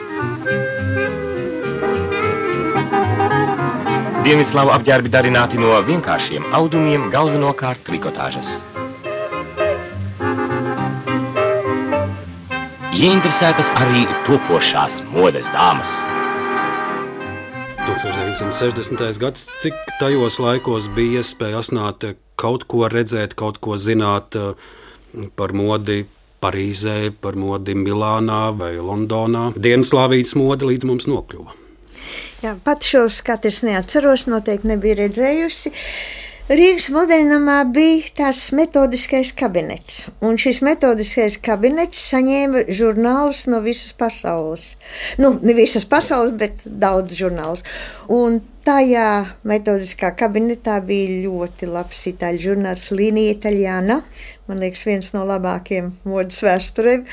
Speaker 6: Dienvidslāvu apģērbi darināti no vienkāršiem audumiem, galvenokārt trikotāžas. Ieinteresētas arī topošās modes dāmas.
Speaker 2: 1960. gads, cik tajos laikos bija iespēja asnāt kaut ko redzēt, kaut ko zināt par modi Parīzē, par modi Milānā vai Londonā. Dienvidslāvijas mode līdz mums nokļuva.
Speaker 3: Jā, pat šo skatu es neatceros, noteikti nebiju redzējusi. Rīgas modeļnamā bija tāds metodiskais kabinets, un šis metodiskais kabinets saņēma žurnālus no visas pasaules. Ne visas pasaules, bet daudz žurnālus. Un tajā metodiskā kabinetā bija ļoti labs itāļu žurnāls Linija Itaļāna, man liekas, viens no labākiem modes vēsturēm.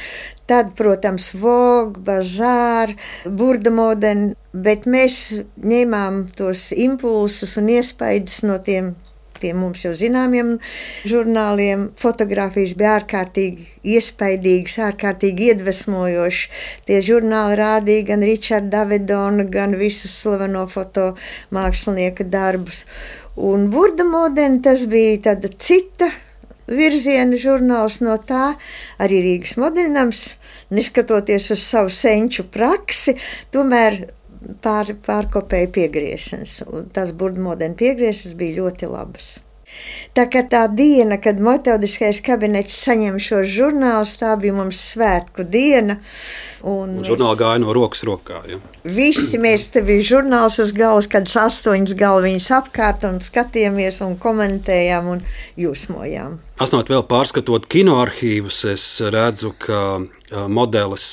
Speaker 3: Tad, protams, Vogue, Bazaar, Burda Modern, bet mēs ņēmām tos impulsus un iespaidus no tiem mums jau zināmiem žurnāliem. Fotogrāfijas bija ārkārtīgi iespaidīgas, ārkārtīgi iedvesmojošas. Tie žurnāli rādīja gan Richarda Avedona, gan visus slaveno fotomākslinieka darbus. Un Burda Modern, tas bija tāda cita virziena žurnāls no tā, arī Rīgas modeļnams, neskatoties uz savu senču praksi, tomēr pārkopēja piegriešanas. Tas Burda Modern piegriešanas bija ļoti labas. Tā kā tā diena, kad metodiskais kabinets saņem šo žurnālus, tā bija mums svētku diena.
Speaker 2: Un žurnāli gāja no rokas rokā. Ja?
Speaker 3: Visi mēs te bija žurnāls uz galvas, kad 8 galviņas apkārt un skatījāmies un komentējām un jūsmojām.
Speaker 2: Asnāt vēl pārskatot kinoarhīvus, es redzu, ka modelis,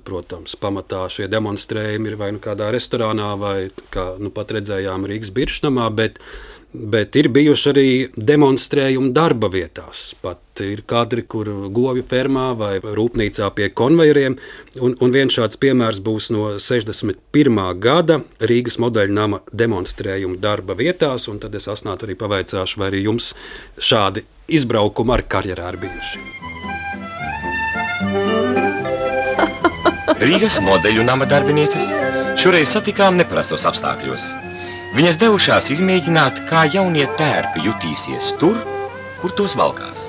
Speaker 2: protams, pamatā šie demonstrējumi ir vai kādā restorānā vai, kā pat redzējām Rīgas Biržnamā, bet ir bijuši arī demonstrējumi darba vietās. Pat ir kadri, kur govju fermā vai rūpnīcā pie konvejeriem. Un viens šāds piemērs būs no 61. gada Rīgas modeļnama demonstrējumu darba vietās. Un tad es Asnātu arī pavaicāšu, vai arī jums šādi izbraukumi ar karjerā ir bijuši.
Speaker 6: Rīgas modeļu nama darbinieces šoreiz satikām neparastos apstākļos. Viņas devušās izmēģināt, kā jaunie tērpi jutīsies tur, kur tos valkās.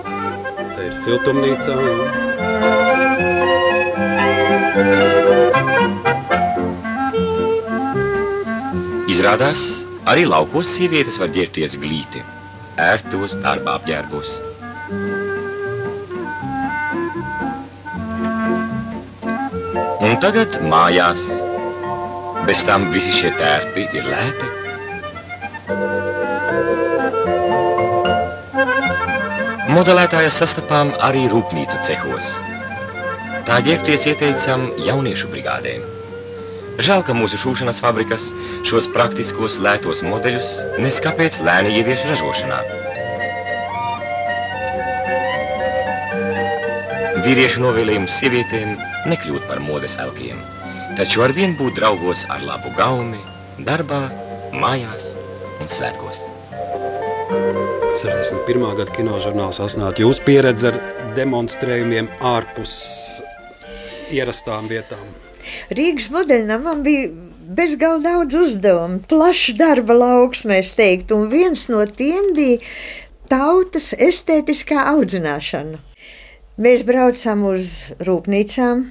Speaker 2: Te ir siltumnīca.
Speaker 6: Izrādās, arī laukos sievietes var ģērbties glīti, ērtos darbā apģērbos. Un tagad mājās. Bez tam visi šie tērpi ir lēti. Modelētājas sastapām arī rūpnīcu cehos. Tā ģērbties ieteicam jauniešu brigādēm. Žēl, ka mūsu šūšanas fabrikas šos praktiskos lētos modeļus neskapēc lēni ievieš ražošanā. Vīriešu novēlējums sievietēm nekļūt par modes elkiem, taču arvien būt draugos ar labu gaumi, darbā, mājās un svētkos.
Speaker 2: 61. gada kinožurnāls Asnāt. Jūs pieredze ar demonstrējumiem ārpus ierastām vietām.
Speaker 3: Rīgas modeļnamam bija bezgalīgi daudz uzdevumu, plašs darba lauks, mēs teiktu, un viens no tiem bija tautas estētiskā audzināšana. Mēs braucām uz rūpnīcām,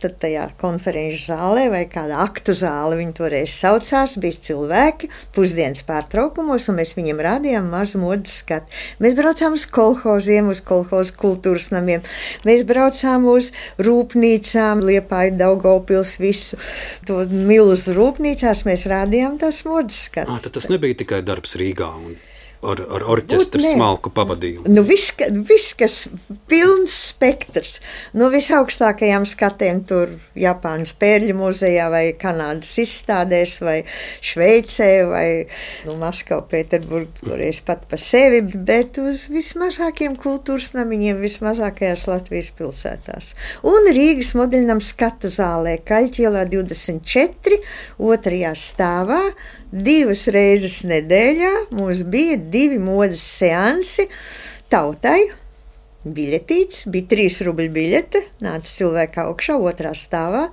Speaker 3: tad tajā konferenču zālē vai kādā aktu zāle, viņi toreiz saucās, bija cilvēki pusdienas pārtraukumos, un mēs viņiem rādījām mazu modes skatu. Mēs braucām uz kolhoziem, uz kolhozu kultūras namiem, mēs braucām uz rūpnīcām, Liepāju, Daugavpils, visu to milzu rūpnīcās, mēs rādījām tās modes skatu.
Speaker 2: Tad tas nebija tikai darbs Rīgā un ar orķestra smalku pavadījumu.
Speaker 3: Nu, viss, kas pilns spektrs, no visaugstākajām skatiem tur Japānas Pērļu muzejā vai Kanādas izstādēs vai Šveicē vai Maskavu, Pēterburgu, toreiz pat pa sevi, bet uz vismazākiem kultūras namiņiem, vismazākajās Latvijas pilsētās. Un Rīgas modeļnam skatu zālē Kaļķielā 24, 2. stāvā, 2 reizes nedēļā mums bija 2 modes seansi tautai. Biļetītes, bija 3 rubļu biļete, nāca cilvēka augšā 2. stāvā,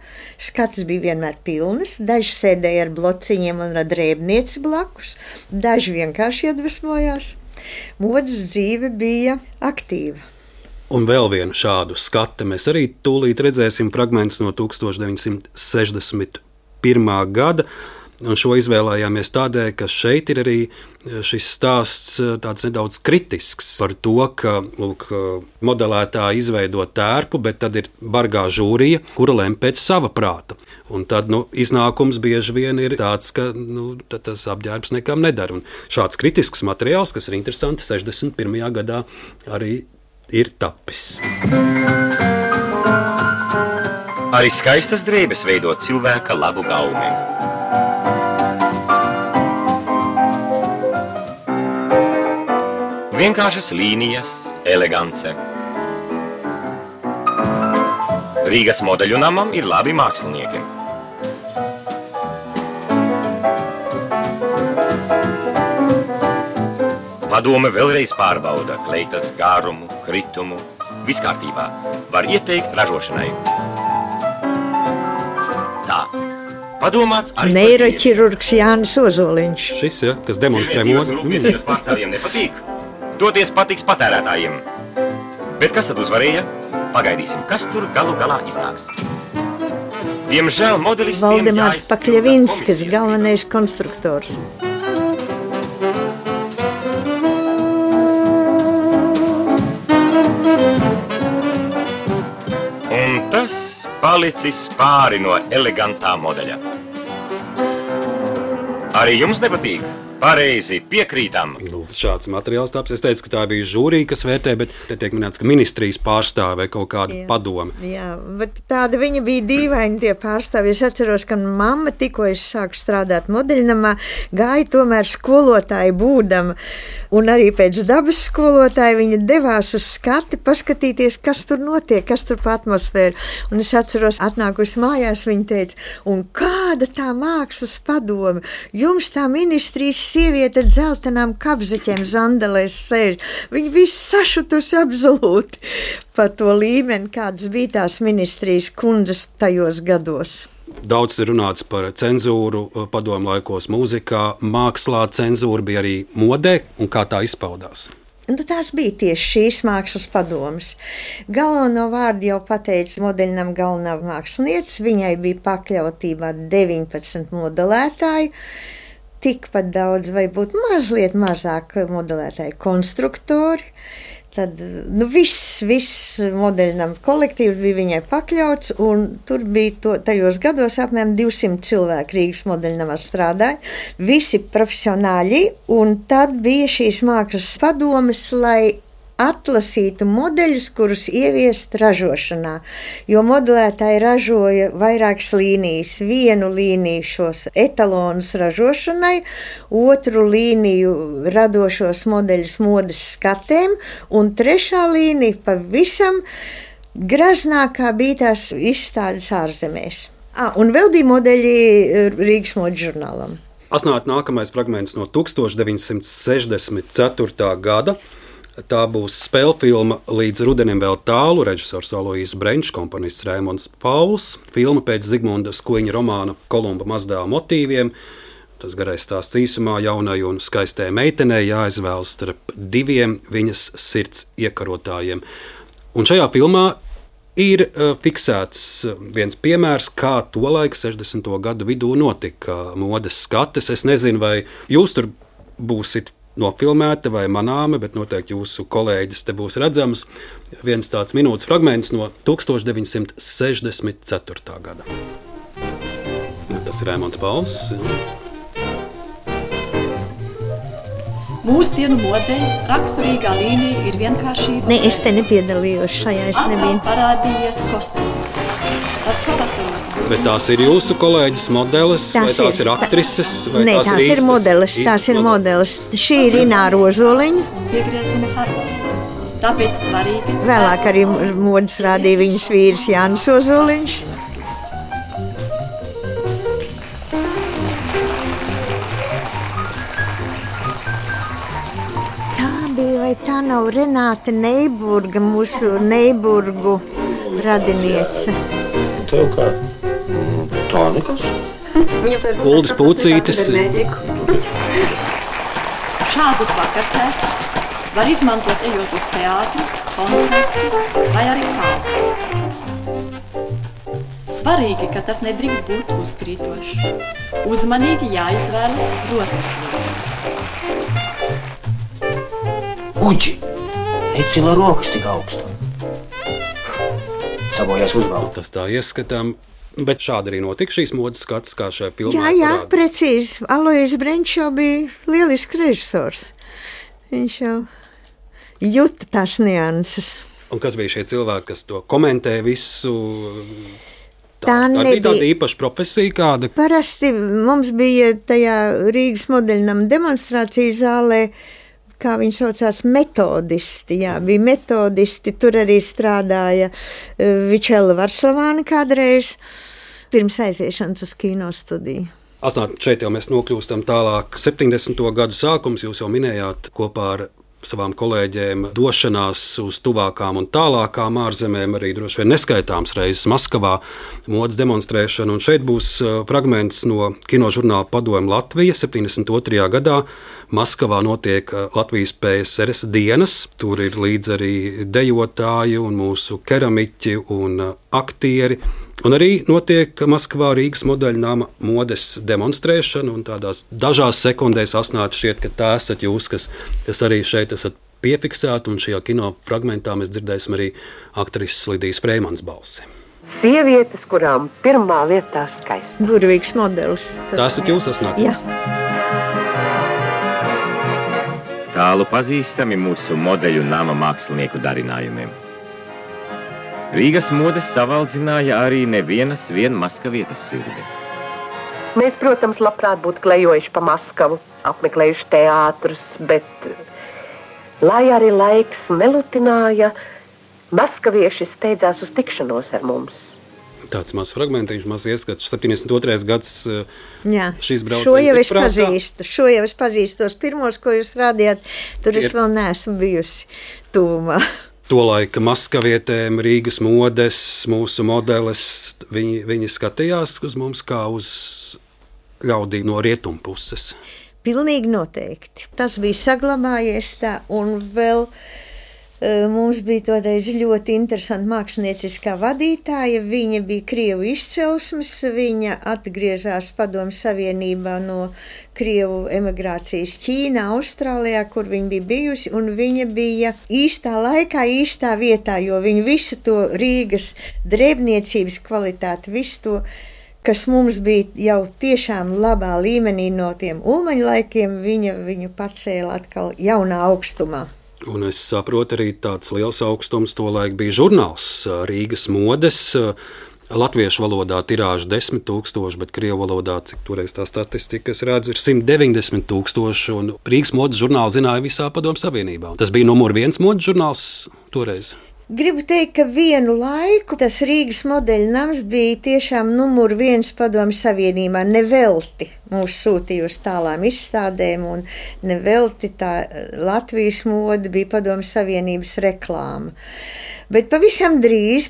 Speaker 3: skatas bija vienmēr pilnas, daži sēdēja ar blociņiem un ar drēbnieci blakus, daži vienkārši iedvesmojās. Modes dzīve bija aktīva.
Speaker 2: Un vēl vienu šādu skatu mēs arī tūlīt redzēsim fragmentus no 1961. gada. Un šo izvēlējāmies tādēļ, ka šeit ir arī šis stāsts tāds nedaudz kritisks par to, ka modelētāji izveido tērpu, bet tad ir bargā žūrija, kura lem pēc sava prāta. Un tad iznākums bieži vien ir tāds, ka tas apģērbs nekam nedara. Un šāds kritisks materiāls, kas ir interesanti, 61. gadā arī ir tapis.
Speaker 6: Arī skaistas drēbes veido cilvēka labu gaumi. Vienkāršas līnijas, elegance. Rīgas modeļu namam ir labi mākslinieki. Padome vēlreiz pārbauda kleitas gārumu, kritumu, viss kārtībā. Var ieteikt ražošanai. Tā. Padomāts arī
Speaker 3: neiroķirurgs Jānis Ozoliņš.
Speaker 2: Šis, kas demonstrē modi.
Speaker 6: Rūpniecības pārstāvjiem nepatīk. Toties patiks patērētājiem. Bet kas tad uzvarēja? Pagaidīsim, kas tur galu galā iznāks. Diemžēl modelis
Speaker 3: Valdemārs Pakļevinskis, galvenais konstruktors.
Speaker 6: Un tas palicis pāri no elegantā modeļa. Arī jums nepatīk? Pareizi, piekrītam.
Speaker 2: Šāds materiāls taps. Es teicu, ka tā bija žūrija, kas vērtē, bet te tiek minēts, ka ministrijas pārstāve kaut kāda padome.
Speaker 3: Jā, bet tāda viņa bija dīvaini tie pārstāvi. Es atceros, ka mamma tikko es sāku strādāt modeļnamā, gāja tomēr skolotāja būdama. Un arī pēc dabas skolotāja viņa devās uz skati paskatīties, kas tur notiek, kas tur pa atmosfēru. Un es atceros, atnākusi mājās, viņa teica, un kāda tā mākslas padome? Jums tā ministrijas sieviete ar dzeltenām kapzeķiem zandelēs sēž. Viņi visi sašutusi absolūti par to līmeni, kādas bija tās ministrijas kundzes tajos gados.
Speaker 2: Daudz ir runāts par cenzūru padomu laikos mūzikā, mākslā. Cenzūra bija arī modē, un kā tā izpaudās?
Speaker 3: Tās bija tieši šīs mākslas padomas. Galveno vārdu jau pateica modeļnam galvenā mākslinieca. Viņai bija pakļautībā 19 modelētāji, tikpat daudz vai būt mazliet mazāk modelētāji konstruktori. Tad viss modeļnam kolektīvs bija viņai pakļauts, un tur bija tajos gados apmēram 200 cilvēku Rīgas modeļnamā strādāja, visi profesionāļi, un tad bija šīs mākslas padomes, lai atlasītu modeļus, kurus ieviest ražošanā, jo modelētāji ražoja vairākas līnijas. Vienu līniju šos etalonus ražošanai, otru līniju radošos modeļus modes skatēm, un trešā līnija pavisam graznākā bija tās izstādes ārzemēs. Un vēl bija modeļi Rīgas modes žurnālam.
Speaker 2: Asnāt nākamais fragments no 1964. gada. Tā būs spēļu filma Līdz rudenim vēl tālu, režisors Aloijs Brenčs, komponists Raimonds Pauls, filma pēc Zigmunda Skuiņa romāna Kolumba mazdēla motīviem. Tas garais stāsts īsumā jaunai un skaistai meitenei jāizvēlas starp diviem viņas sirds iekarotājiem. Un šajā filmā ir fiksēts viens piemērs, kā tolaik 60. gadu vidū notika modes skates. Es nezinu, vai jūs tur būsit nofilmēta vai manāma, bet noteikti jūsu kolēģis te būs redzams. Viens tāds minūtes fragments no 1964. gada. Tas ir Raimonds Pauls.
Speaker 7: Mūsdienu modē raksturīgā līnija ir vienkāršība.
Speaker 3: Ne, es te nepiedalījos šajā, es nebiju.
Speaker 7: Parādījies kostīms. Tas pavasaros.
Speaker 2: Bet tās ir jūsu kolēģis modelis, vai tās ir aktrises?
Speaker 3: Nē, tās ir modelis, tās ir modelis. Šī ir Ināra Ozoliņa.
Speaker 7: Piegriezuma harmonija. Tāpēc svarīgi.
Speaker 3: Vēlāk arī modes rādīja viņas vīrs Jānis Ozoliņš. Tā bija, vai tā nav Renāte Neiburga, mūsu Neiburgu radiniece?
Speaker 8: Tev kā? Tā nekas.
Speaker 2: Uldis Pucītis.
Speaker 7: Šādus vakartēkus var izmantot ejot uz teātri, koncertu vai arī kāzās. Svarīgi, ka tas nedrīkst būt uzkrītošs. Uzmanīgi jāizvēlas rotas lietas.
Speaker 8: Uģi! Necila rokas tik augstu. Sabojās uzvaldu.
Speaker 2: Tas tā ieskatām. Bet šādi arī notika šīs modes skats, kā šajā filmā.
Speaker 3: Jā, precīzi. Aloijs Brenčs jau bija lielisks režisors. Viņš jau jūta tās nianses.
Speaker 2: Un kas bija šie cilvēki, kas to komentē visu?
Speaker 3: Tā
Speaker 2: bija tāda īpaša profesija kāda?
Speaker 3: Parasti mums bija tajā Rīgas modeļnam demonstrācijas zālē, kā viņi saucās, metodisti. Jā, bija metodisti, tur arī strādāja Vičela Varslavāna kādreiz, pirms aiziešanas uz kino studiju.
Speaker 2: Asnāt, šeit jau mēs nokļūstam tālāk. 70. gadu sākums, jūs jau minējāt, kopā ar savām kolēģiem došanās uz tuvākām un tālākām ārzemēm, arī droši vien neskaitāms reizes Maskavā modes demonstrēšana. Un šeit būs fragments no kinožurnāla Padomu Latvija 72. gadā. Maskavā notiek Latvijas PSRS dienas. Tur ir līdz arī dejotāji un mūsu keramiķi un aktieri. Un arī notiek Maskavā Rīgas modeļnama modes demonstrēšana, un tādās dažās sekundēs Asnāt šķiet, ka tā esat jūs, kas arī šeit esat piefiksēti, un šajā kino fragmentā mēs dzirdēsim arī aktrises Lidijas Freimans balsi.
Speaker 9: Sievietes, kurām pirmā vietā skaisti.
Speaker 3: Burvīgs modelis.
Speaker 2: Tā esat jūs, Asnāt?
Speaker 3: Jā.
Speaker 6: Tālu pazīstami mūsu modeļu nama mākslinieku darinājumiem. Rīgas modes savaldzināja arī nevienas Maskavietas sirdi.
Speaker 9: Mēs, protams, labprāt būtu klejojuši pa Maskavu, apmeklējuši teātrus, bet, lai arī laiks nelutināja, maskavieši steidzās uz tikšanos ar mums.
Speaker 2: Tāds mazs fragmentiņš, mazs ieskats. 72. gads šīs brauciens.
Speaker 3: Šo jau es pazīstu. Tos pirmos, ko jūs rādījāt, tur es vēl neesmu bijusi tūmā.
Speaker 2: Tolaika maskavietēm, Rīgas modes, mūsu modeles, viņi skatījās uz mums kā uz ļaudīm no rietumu puses.
Speaker 3: Pilnīgi noteikti. Tas bija saglabājies tā, un vēl mums bija toreiz ļoti interesanta mākslinieciskā vadītāja. Viņa bija Krievu izcelsmes, viņa atgriezās Padomju Savienībā no Krievu emigrācijas Ķīnā, Austrālijā, kur viņa bija bijusi, un viņa bija īstā laikā, īstā vietā, jo viņa visu to Rīgas drēbniecības kvalitāti, visu to, kas mums bija jau tiešām labā līmenī no tiem Ulmaņa laikiem, viņu pacēla atkal jaunā augstumā.
Speaker 2: Un es saprotu, arī tāds liels augstums tolaik bija žurnāls Rīgas modes. Latviešu valodā tirāža 10 000, bet krievu valodā, cik toreiz tā statistika, es redzu, ir 190 000, un Rīgas modes žurnālu zināja visā Padomju Savienībā. Tas bija numur 1 modes žurnāls toreiz.
Speaker 3: Gribu teikt, ka vienu laiku tas Rīgas modeļu nams bija tiešām numur 1 Padomju Savienībā. Nevelti mūs sūtīja uz tālām izstādēm, un nevelti tā Latvijas mode bija Padomju Savienības reklāma. Bet pavisam drīz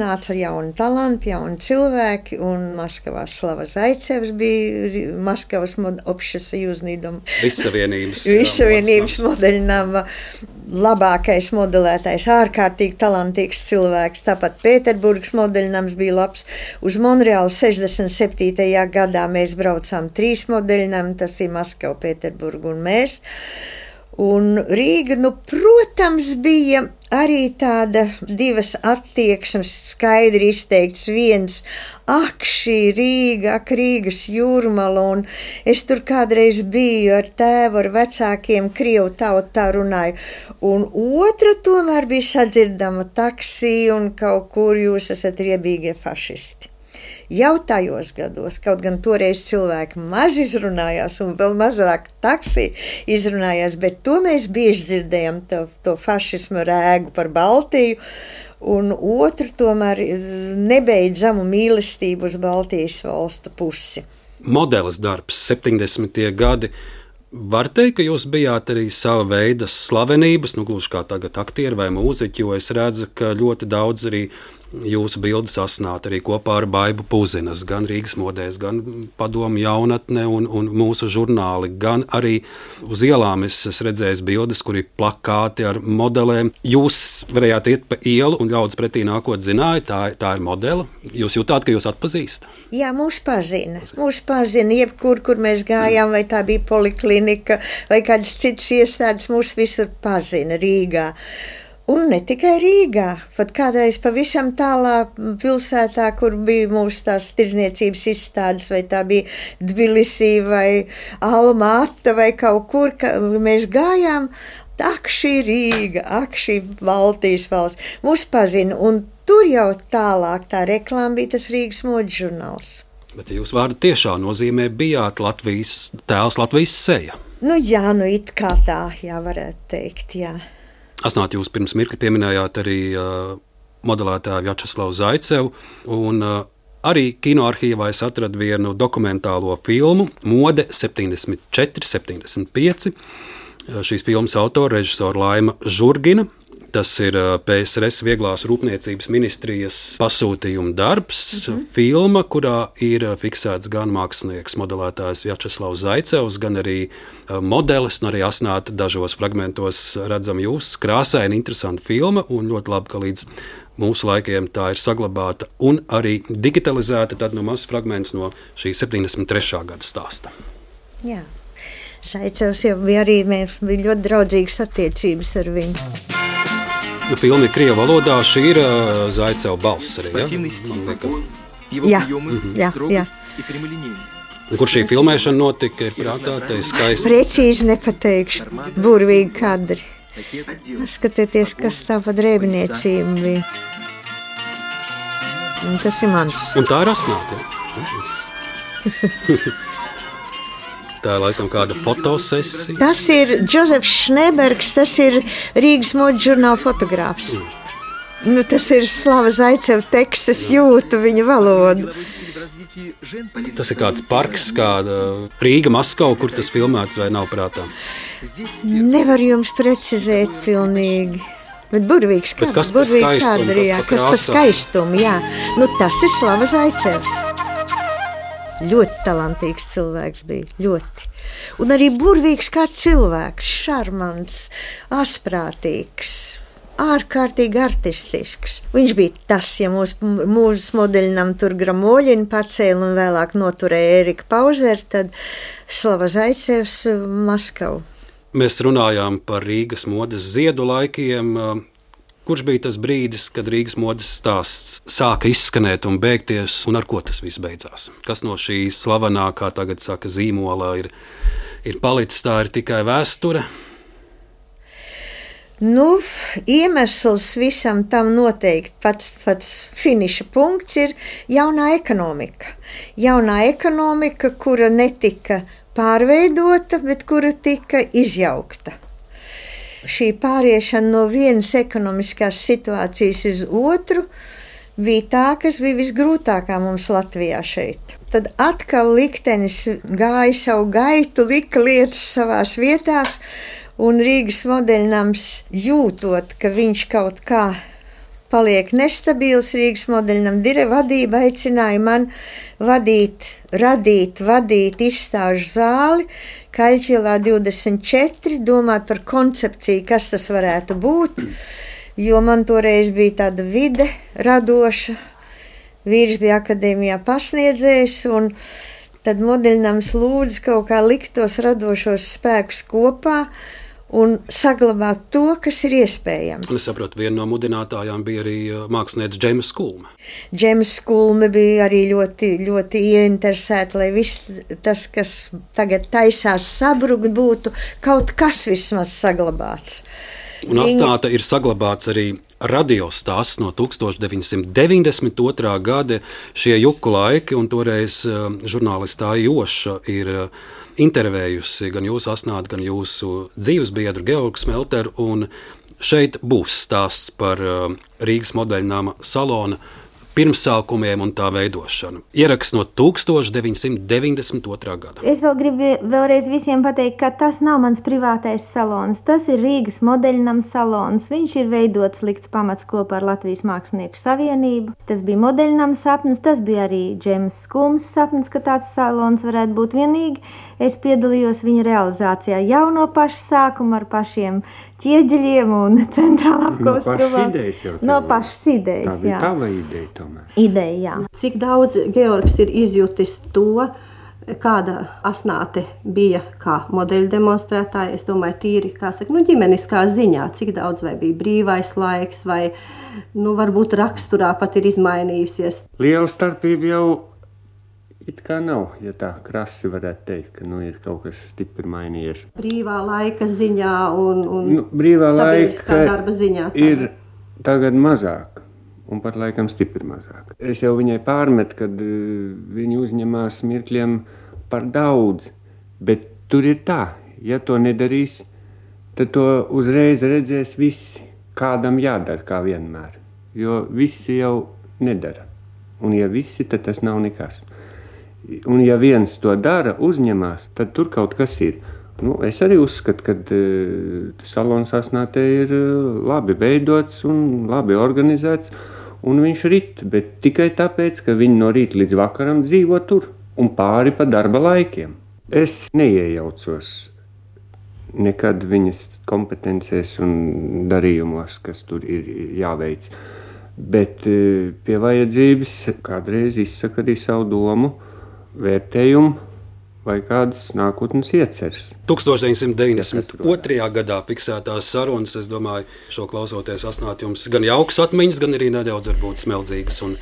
Speaker 3: nāca jauni talanti, jauni cilvēki, un Maskavā Slava Zaicevs bija Maskavas общесоюзный дом. Vissavienības modeļnama labākais modelētājs, ārkārtīgi talantīgs cilvēks. Tāpat Pēterburgas modeļnams bija labs. Uz Monreālu 67. gadā mēs braucām 3 modeļnami, tas ir Maskava, Pēterburga un mēs. Un Rīga, protams, bija arī tāda divas attieksmes skaidri izteikts. Viens, šī Rīga, Rīgas jūrmala, un es tur kādreiz biju ar tēvu, ar vecākiem, krievu tautu tā runāju. Un otra tomēr bija sadzirdama taksī, un kaut kur jūs esat riebīgie fašisti. Jau tajos gados, kaut gan toreiz cilvēki maz izrunājās un vēl mazāk taksī izrunājās, bet to mēs bieži dzirdējam, to fašismu rēgu par Baltiju, un otru tomēr nebeidzamu mīlestību uz Baltijas valstu pusi.
Speaker 2: Modeles darbs, 70. gadi. Var teikt, ka jūs bijāt arī sava veida slavenības, gluži kā tagad aktieri vai mūziķi, jo es redzu, ka ļoti daudz arī jūsu bildes sasnāt arī kopā ar Baibu Puzinas, gan Rīgas modēs, gan Padomju jaunatne un mūsu žurnāli, gan arī uz ielām es redzēju bildes, kur ir plakāti ar modelēm. Jūs varējāt iet pa ielu un ļaudis pretī nākot zināja, tā ir modele. Jūs jutāt, ka jūs atpazīstat?
Speaker 3: Jā, mūs pazina, jebkur, kur mēs gājām, vai tā bija poliklinika, vai kādas citas iestādes, mūs visur pazina Rīgā. Un ne tikai Rīgā, pat kādreiz pavisam tālā pilsētā, kur bija mūsu tās tirdzniecības izstādes, vai tā bija Tbilisī vai Alma-Ata vai kaut kur, mēs gājām, šī Rīga, šī Baltijas valsts, mūs pazina, un tur jau tālāk tā reklāma bija tas Rīgas modes žurnāls.
Speaker 2: Bet jūs vārdu tiešā nozīmē bijāt Latvijas tēls, Latvijas seja.
Speaker 3: Jā, it kā tā, jā, varētu teikt, jā.
Speaker 2: Asnāt, jūs pirms mirkli pieminējāt arī modelētāju Vjačeslavu Zaicevu, un arī kinoarhīvā es atradu vienu dokumentālo filmu Mode 74, 75. Šīs filmas autora režisora Laima Žurgina. Tas ir PSRS Vieglās rūpniecības ministrijas pasūtījuma darbs, filma, kurā ir fiksēts gan mākslinieks, modelētājs Vjačeslavs Zaicevs, gan arī modelis, un arī Asnāta dažos fragmentos redzam jūs. Krāsaina, interesanta filma, un ļoti labi, ka līdz mūsu laikiem tā ir saglabāta un arī digitalizēta, tad no mazs fragments no šī 73. gada stāsta.
Speaker 3: Jā, Zaicevs jau bija arī, mēs bija ļoti draudzīgas attiecības ar viņu.
Speaker 2: Filma ir krievu valodā, šī ir Zaiceva balss arī,
Speaker 3: jā? Jā.
Speaker 2: Kur šī filmēšana notika, ir prātā, te ir skaisti?
Speaker 3: Precīzi nepateikšu, burvīgi kadri. Skatieties, kas tā pa drēbniecība bija. Un tas ir mans.
Speaker 2: Un tā ir Asnāta. Tā ir laikam kāda fotosesija.
Speaker 3: Tas ir Džozefs Šnebergs, tas ir Rīgas modes žurnāla fotogrāfs. Tas ir Slava Zaiceva teksts, es jūtu viņa valodu.
Speaker 2: Tas ir kāds parks, kāda Rīga, Maskava, kur tas filmēts vai nav prātā?
Speaker 3: Nevar jums precizēt pilnīgi. Bet burvīgs
Speaker 2: kāda. Kas par skaistumu?
Speaker 3: Kas par skaistumu, jā. Tas ir Slava Zaicevs. Ļoti talantīgs cilvēks bija, ļoti. Un arī burvīgs kā cilvēks, šarmants, asprātīgs. Ārkārtīgi artistisks. Viņš bija tas, ja mūsu modeļinam tur Gramoļinu pacēla un vēlāk noturēja Erika Pauzer, tad Slava Zaicevs Maskavu.
Speaker 2: Mēs runājām par Rīgas modes ziedu laikiem. Kurš bija tas brīdis, kad Rīgas modes stāsts sāka izskanēt un beigties, un ar ko tas viss beidzās? Kas no šī slavenā, kā tagad saka, zīmola ir palicis, tā ir tikai vēsture?
Speaker 3: Iemesls visam tam noteikti pats finiša punkts ir jaunā ekonomika. Jaunā ekonomika, kura netika pārveidota, bet kura tika izjaukta. Šī pāriešana no vienas ekonomiskās situācijas uz otru bija tā, kas bija visgrūtākā mums Latvijā šeit. Tad atkal liktenis gāja savu gaitu, lika lietas savās vietās, un Rīgas modeļnams jūtot, ka viņš kaut kā paliek nestabils, Rīgas modeļnam vadība aicināja man radīt izstāžu zāli Kaļķielā 24, domāt par koncepciju, kas tas varētu būt, jo man toreiz bija tāda vide radoša, vīrs bija akadēmijā pasniedzējs, un tad modeļnams lūdz kaut kā likt tos radošos spēkus kopā un saglabāt to, kas ir iespējams.
Speaker 2: Es saprotu, viena no mudinātājām bija arī mākslinieca Džeima Skulme.
Speaker 3: Džeims Skulme bija arī ļoti, ļoti ieinteresēta, lai viss tas, kas tagad taisās sabrukt, būtu kaut kas vismaz saglabāts.
Speaker 2: Un atstāta ir saglabāts arī radiostāsts no 1992. gada, šie juku laiki, un toreiz žurnālistā Joša ir intervējusi gan jūsu Asnāti, gan jūsu dzīvesbiedru Georgu Smelteru, un šeit būs stāsts par Rīgas modeļnama salona pirmsākumiem un tā veidošanu. Ieraksts no 1992. gada.
Speaker 10: Es vēl gribu vēlreiz visiem pateikt, ka tas nav mans privātais salons. Tas ir Rīgas modeļnama salons. Viņš ir veidots, likts pamats kopā ar Latvijas Mākslinieku savienību. Tas bija modeļnama sapnis, tas bija arī Džeims Skulmes sapnis, ka tāds salons varētu būt vienīgi. Es piedalījos viņa realizācijā jau no paša sākuma ar pašiem ķieģeļiem un centrālā apkopes no pašas idejas.
Speaker 11: Tā bija tava ideja tomēr.
Speaker 10: Ideja, jā.
Speaker 7: Cik daudz Georgs ir izjutis to, kāda Asnāte bija kā modeļu demonstrētāja, es domāju, tīri, kā saka, ģimeniskā ziņā, cik daudz vai bija brīvais laiks, vai, varbūt raksturā pat ir izmainījusies.
Speaker 11: Liela starpība jau it kā nav, ja tā krasi varētu teikt, ka ir kaut kas stipri mainījies.
Speaker 7: Brīvā laika ziņā un
Speaker 11: brīvā
Speaker 7: sabiedriskā darba ziņā.
Speaker 11: Ir tagad mazāk, un pat laikam stipri mazāk. Es jau viņai pārmetu, kad viņi uzņemās mirkļiem par daudz, bet tur ir tā, ja to nedarīs, tad to uzreiz redzēs visi, kādam jādara, kā vienmēr, jo visi jau nedara, un ja visi, tad tas nav nekas. Un ja viens to dara, uzņemās, tad tur kaut kas ir. Es arī uzskatu, ka salons Asnātē ir labi veidots un labi organizēts, un viņš rit, bet tikai tāpēc, ka viņi no rīta līdz vakaram dzīvo tur un pāri pa darba laikiem. Es neiejaucos nekad viņas kompetencēs un darījumos, kas tur ir jāveic, bet pie vajadzības kādreiz izsaka arī savu domu, vērtējumu vai kādas nākotnes ieceres.
Speaker 2: 1992. gadā fiksētās sarunas, es domāju, šo klausoties Asnāti, jums gan jauks atmiņas, gan arī nedaudz varbūt smeldzīgas un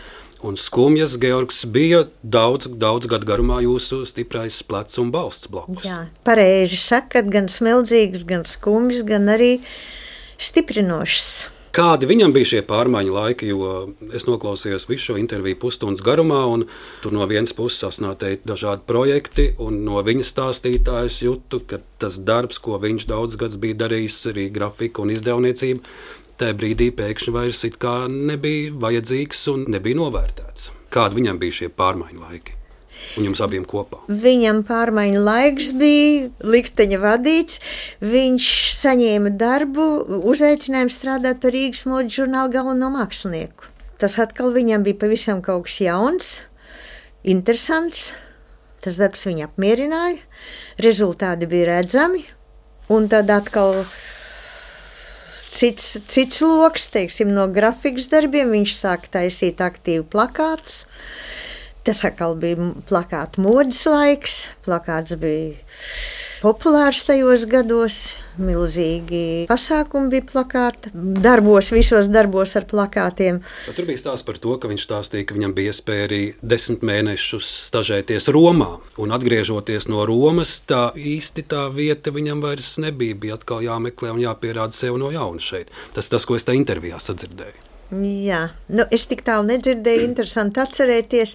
Speaker 2: skumjas. Georgs bija daudz gadu garumā jūsu stiprais plecs un balsts bloks.
Speaker 3: Jā, pareizi sakat, gan smeldzīgas, gan skumjas, gan arī stiprinošas.
Speaker 2: Kādi viņam bija šie pārmaiņu laiki, jo es noklausījos visu šo interviju pusstundas garumā, un tur no vienas puses Asnātei dažādi projekti, un no viņa stāstītājas jūtu, ka tas darbs, ko viņš daudz gadus bija darījis, arī grafika un izdevniecība, tajā brīdī pēkšņi vairs it kā nebija vajadzīgs un nebija novērtēts. Kādi viņam bija šie pārmaiņu laiki? Un jums abiem kopā?
Speaker 3: Viņam pārmaiņu laiks bija likteņa vadīts. Viņš saņēma darbu, uzaicinājumu strādāt par Rīgas modes žurnāla galveno mākslinieku. Tas atkal viņam bija pavisam kaut kas jauns, interesants. Tas darbs viņu apmierināja, rezultāti bija redzami, un tad atkal cits loks, teiksim, no grafikas darbiem. Viņš sāka taisīt aktīvi plakātus. Tas atkal bija plakātu modes laiks. Plakāts bija populārs tajos gados, milzīgi pasākumi bija plakāta. Visos darbos ar plakātiem.
Speaker 2: Tur bija stāsts par to, ka viņš stāstīja, ka viņam bija iespēja arī 10 mēnešus stažēties Romā. Un atgriežoties no Romas, tā vieta viņam vairs nebija. Bija atkal jāmeklē un jāpierāda sev no jauna šeit. Tas, ko es tā intervijā sadzirdēju.
Speaker 3: Jā, es tik tālu nedzirdēju, interesanti atcerēties.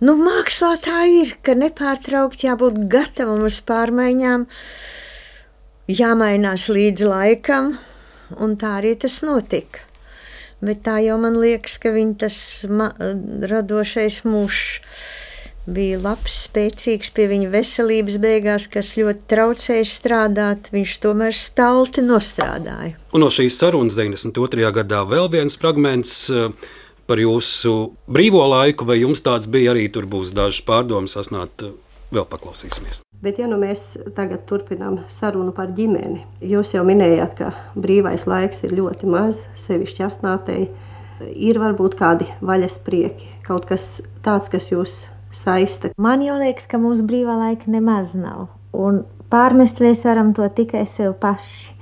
Speaker 3: Mākslā tā ir, ka nepārtraukti jābūt gatavam uz pārmaiņām, jāmainās līdz laikam, un tā arī tas notika. Bet tā jau man liekas, ka tas radošais mūžs bija labs, spēcīgs pie viņa veselības beigās, kas ļoti traucēja strādāt. Viņš tomēr stalti nostrādāja. Un
Speaker 2: no šīs sarunas 92. gadā vēl viens fragments par jūsu brīvo laiku, vai jums tāds bija arī? Tur būs dažas pārdomas, asnāt, vēl paklausīsimies.
Speaker 7: Bet ja mēs tagad turpinām sarunu par ģimeni, jūs jau minējāt, ka brīvais laiks ir ļoti maz, sevišķi asnātei. Ir varbūt kādi vaļas prieki, kaut kas tāds, kas jūs saista.
Speaker 10: Man jau liekas, ka mums brīvā laika nemaz nav, un pārmest mēs varam to tikai sev paši.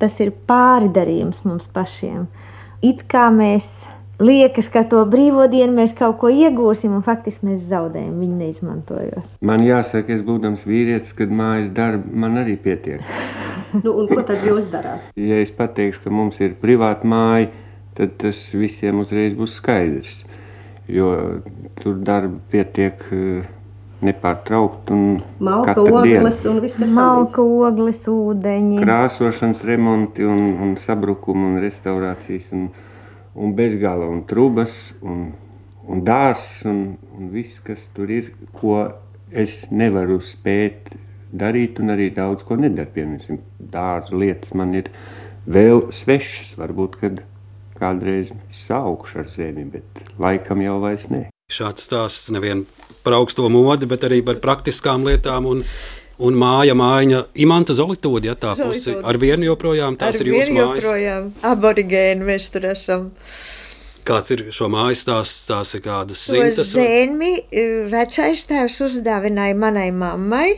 Speaker 10: Tas ir pārdarījums mums pašiem. It kā mēs liekas, ka to brīvo dienu mēs kaut ko iegūsim, un faktiski mēs zaudējam viņu neizmantojot.
Speaker 11: Man jāsaka, es būdams vīrietis, kad mājas darba man arī pietiek.
Speaker 7: Un ko tad jūs darāt?
Speaker 11: Ja es pateikšu, ka mums ir privāta māja, tad tas visiem uzreiz būs skaidrs. Jo tur darba pietiek nepārtraukt un
Speaker 7: malka, ogles un viss, kas
Speaker 10: malka, ogles, ūdeņi.
Speaker 11: Krāsošanas remonti un sabrukumi un restaurācijas un bezgala un trubas un dārs un viss, kas tur ir, ko es nevaru spēt darīt un arī daudz ko nedara. Piemēram, dārzu lietas man ir vēl svešas, varbūt, kad kādreiz saukšu ar zemi, bet laikam jau vairs ne.
Speaker 2: Šāds stāsts nevien par augsto modi, bet arī par praktiskām lietām un māja Imanta Zolitūde, ja tā pusi. Ar vienu joprojām tās ir jūsu mājas?
Speaker 3: Ar vienu joprojām. Aborigēni mēs tur esam.
Speaker 2: Kāds ir šo mājas stāsts? Tās ir kādas simtas?
Speaker 3: Zemi vecais tēvs uzdāvināja manai mammai,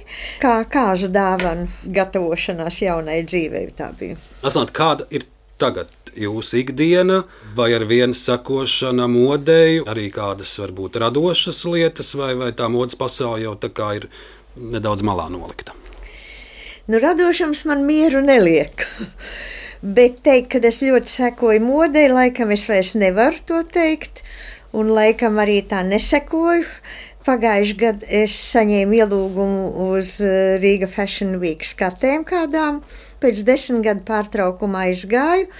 Speaker 3: kā kāzu dāvanu gatavošanās jaunai dzīvei. Tā bija.
Speaker 2: Asnāt, kāda ir tagad jūsu ikdiena, vai ar vienu sekošana modei, arī kādas varbūt radošas lietas, vai tā modes pasaule jau tā kā ir nedaudz malā nolikta?
Speaker 3: Radošums man mieru neliek. Bet teikt, ka es ļoti sekoju modei, laikam es vairs nevaru to teikt, un laikam arī tā nesekoju. Pagājuši gadu es saņēmu ielūgumu uz Riga Fashion Week skatēm kādām, pēc 10 gadu pārtraukumā aizgāju.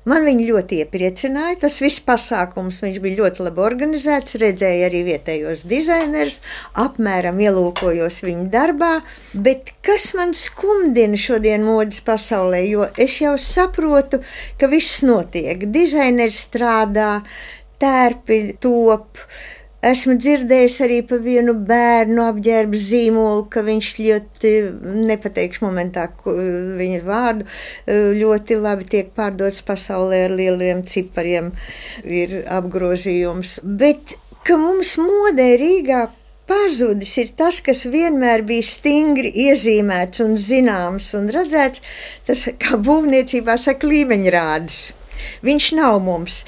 Speaker 3: Man viņi ļoti iepriecināja, tas viss pasākums, viņš bija ļoti labi organizēts, redzēju arī vietējos dizainerus, apmēram ielūkojos viņu darbā, bet kas man skumdina šodien modes pasaulē, jo es jau saprotu, ka viss notiek, dizaineri strādā, tērpi top. Esmu dzirdējis arī par vienu bērnu apģērbu zīmolu, ka viņš ļoti, nepateikšu momentā viņa vārdu, ļoti labi tiek pārdots pasaulē ar lieliem cipariem, ir apgrozījums. Bet, ka mums modē Rīgā pazudis ir tas, kas vienmēr bija stingri iezīmēts un zināms un redzēts, tas, kā būvniecībā saka, līmeņrādis. Viņš nav mums.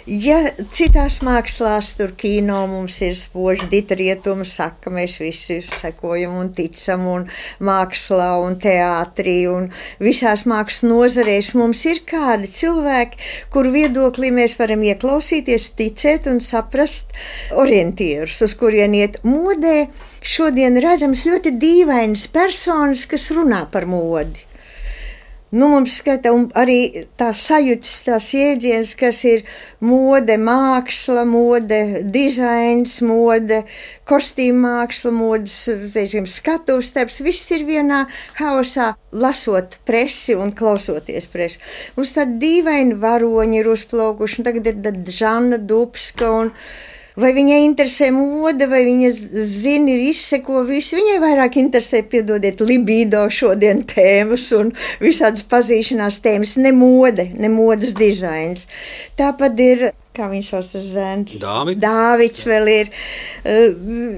Speaker 3: Ja citās mākslās, tur kino mums ir spoži rietumi, saka, mēs visi sekojam un ticam, un mākslā un teātrī, un visās mākslas nozarēs mums ir kādi cilvēki, kur viedoklī mēs varam ieklausīties, ticēt un saprast orientierus, uz kurien iet modē. Šodien redzams ļoti dīvainas personas, kas runā par modi. Mums skata un arī tā sajūtas, tās jēdziens, kas ir mode, māksla, mode, dizains, mode, kostīma māksla, modes, teiksim, skatuves darbs, viss ir vienā haosā, lasot presi un klausoties presi. Mums tādi dīvaini varoņi ir uzplaukuši, un tagad ir Žana Dubska un vai viņai interesē mode, vai viņa zina, izseko visu. Viņai vairāk interesē, piedodiet, libido šodien tēmas un visādas pazīšanās tēmas, ne modes dizains. Tāpat ir, kā viņš sauc tas zēns? Dāvids vēl ir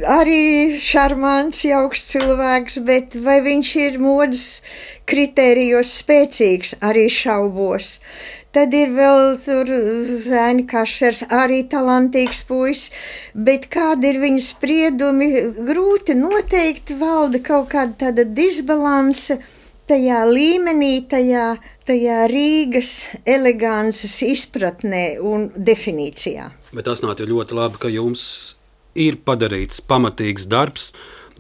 Speaker 3: arī šarmants, jauks cilvēks, bet vai viņš ir modes kritērijos spēcīgs, arī šaubos. Tad ir vēl tur Zēni Kašers, arī talantīgs puisis, bet kādi ir viņa spriedumi, grūti noteikti valda kaut kāda tāda disbalanse tajā līmenī, tajā Rīgas elegances izpratnē un definīcijā.
Speaker 2: Bet tas nāk ļoti labi, ka jums ir padarīts pamatīgs darbs.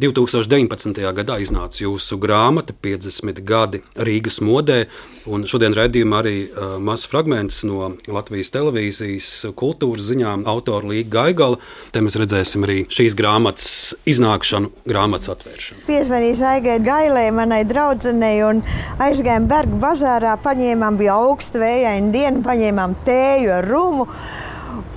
Speaker 2: 2019. gadā iznāca jūsu grāmata 50 gadi Rīgas modē, un šodien raidījumā arī mazs fragments no Latvijas televīzijas kultūras ziņām autora Līga Gaigala. Te mēs redzēsim arī šīs grāmatas iznākšanu, grāmatas atvēršanu.
Speaker 3: Piezvanīja Zaigai Gailai, manai draudzenei, un aizgājām Bergu bazārā, paņēmām, bija augsta vējaina diena, paņēmām tēju ar rumu,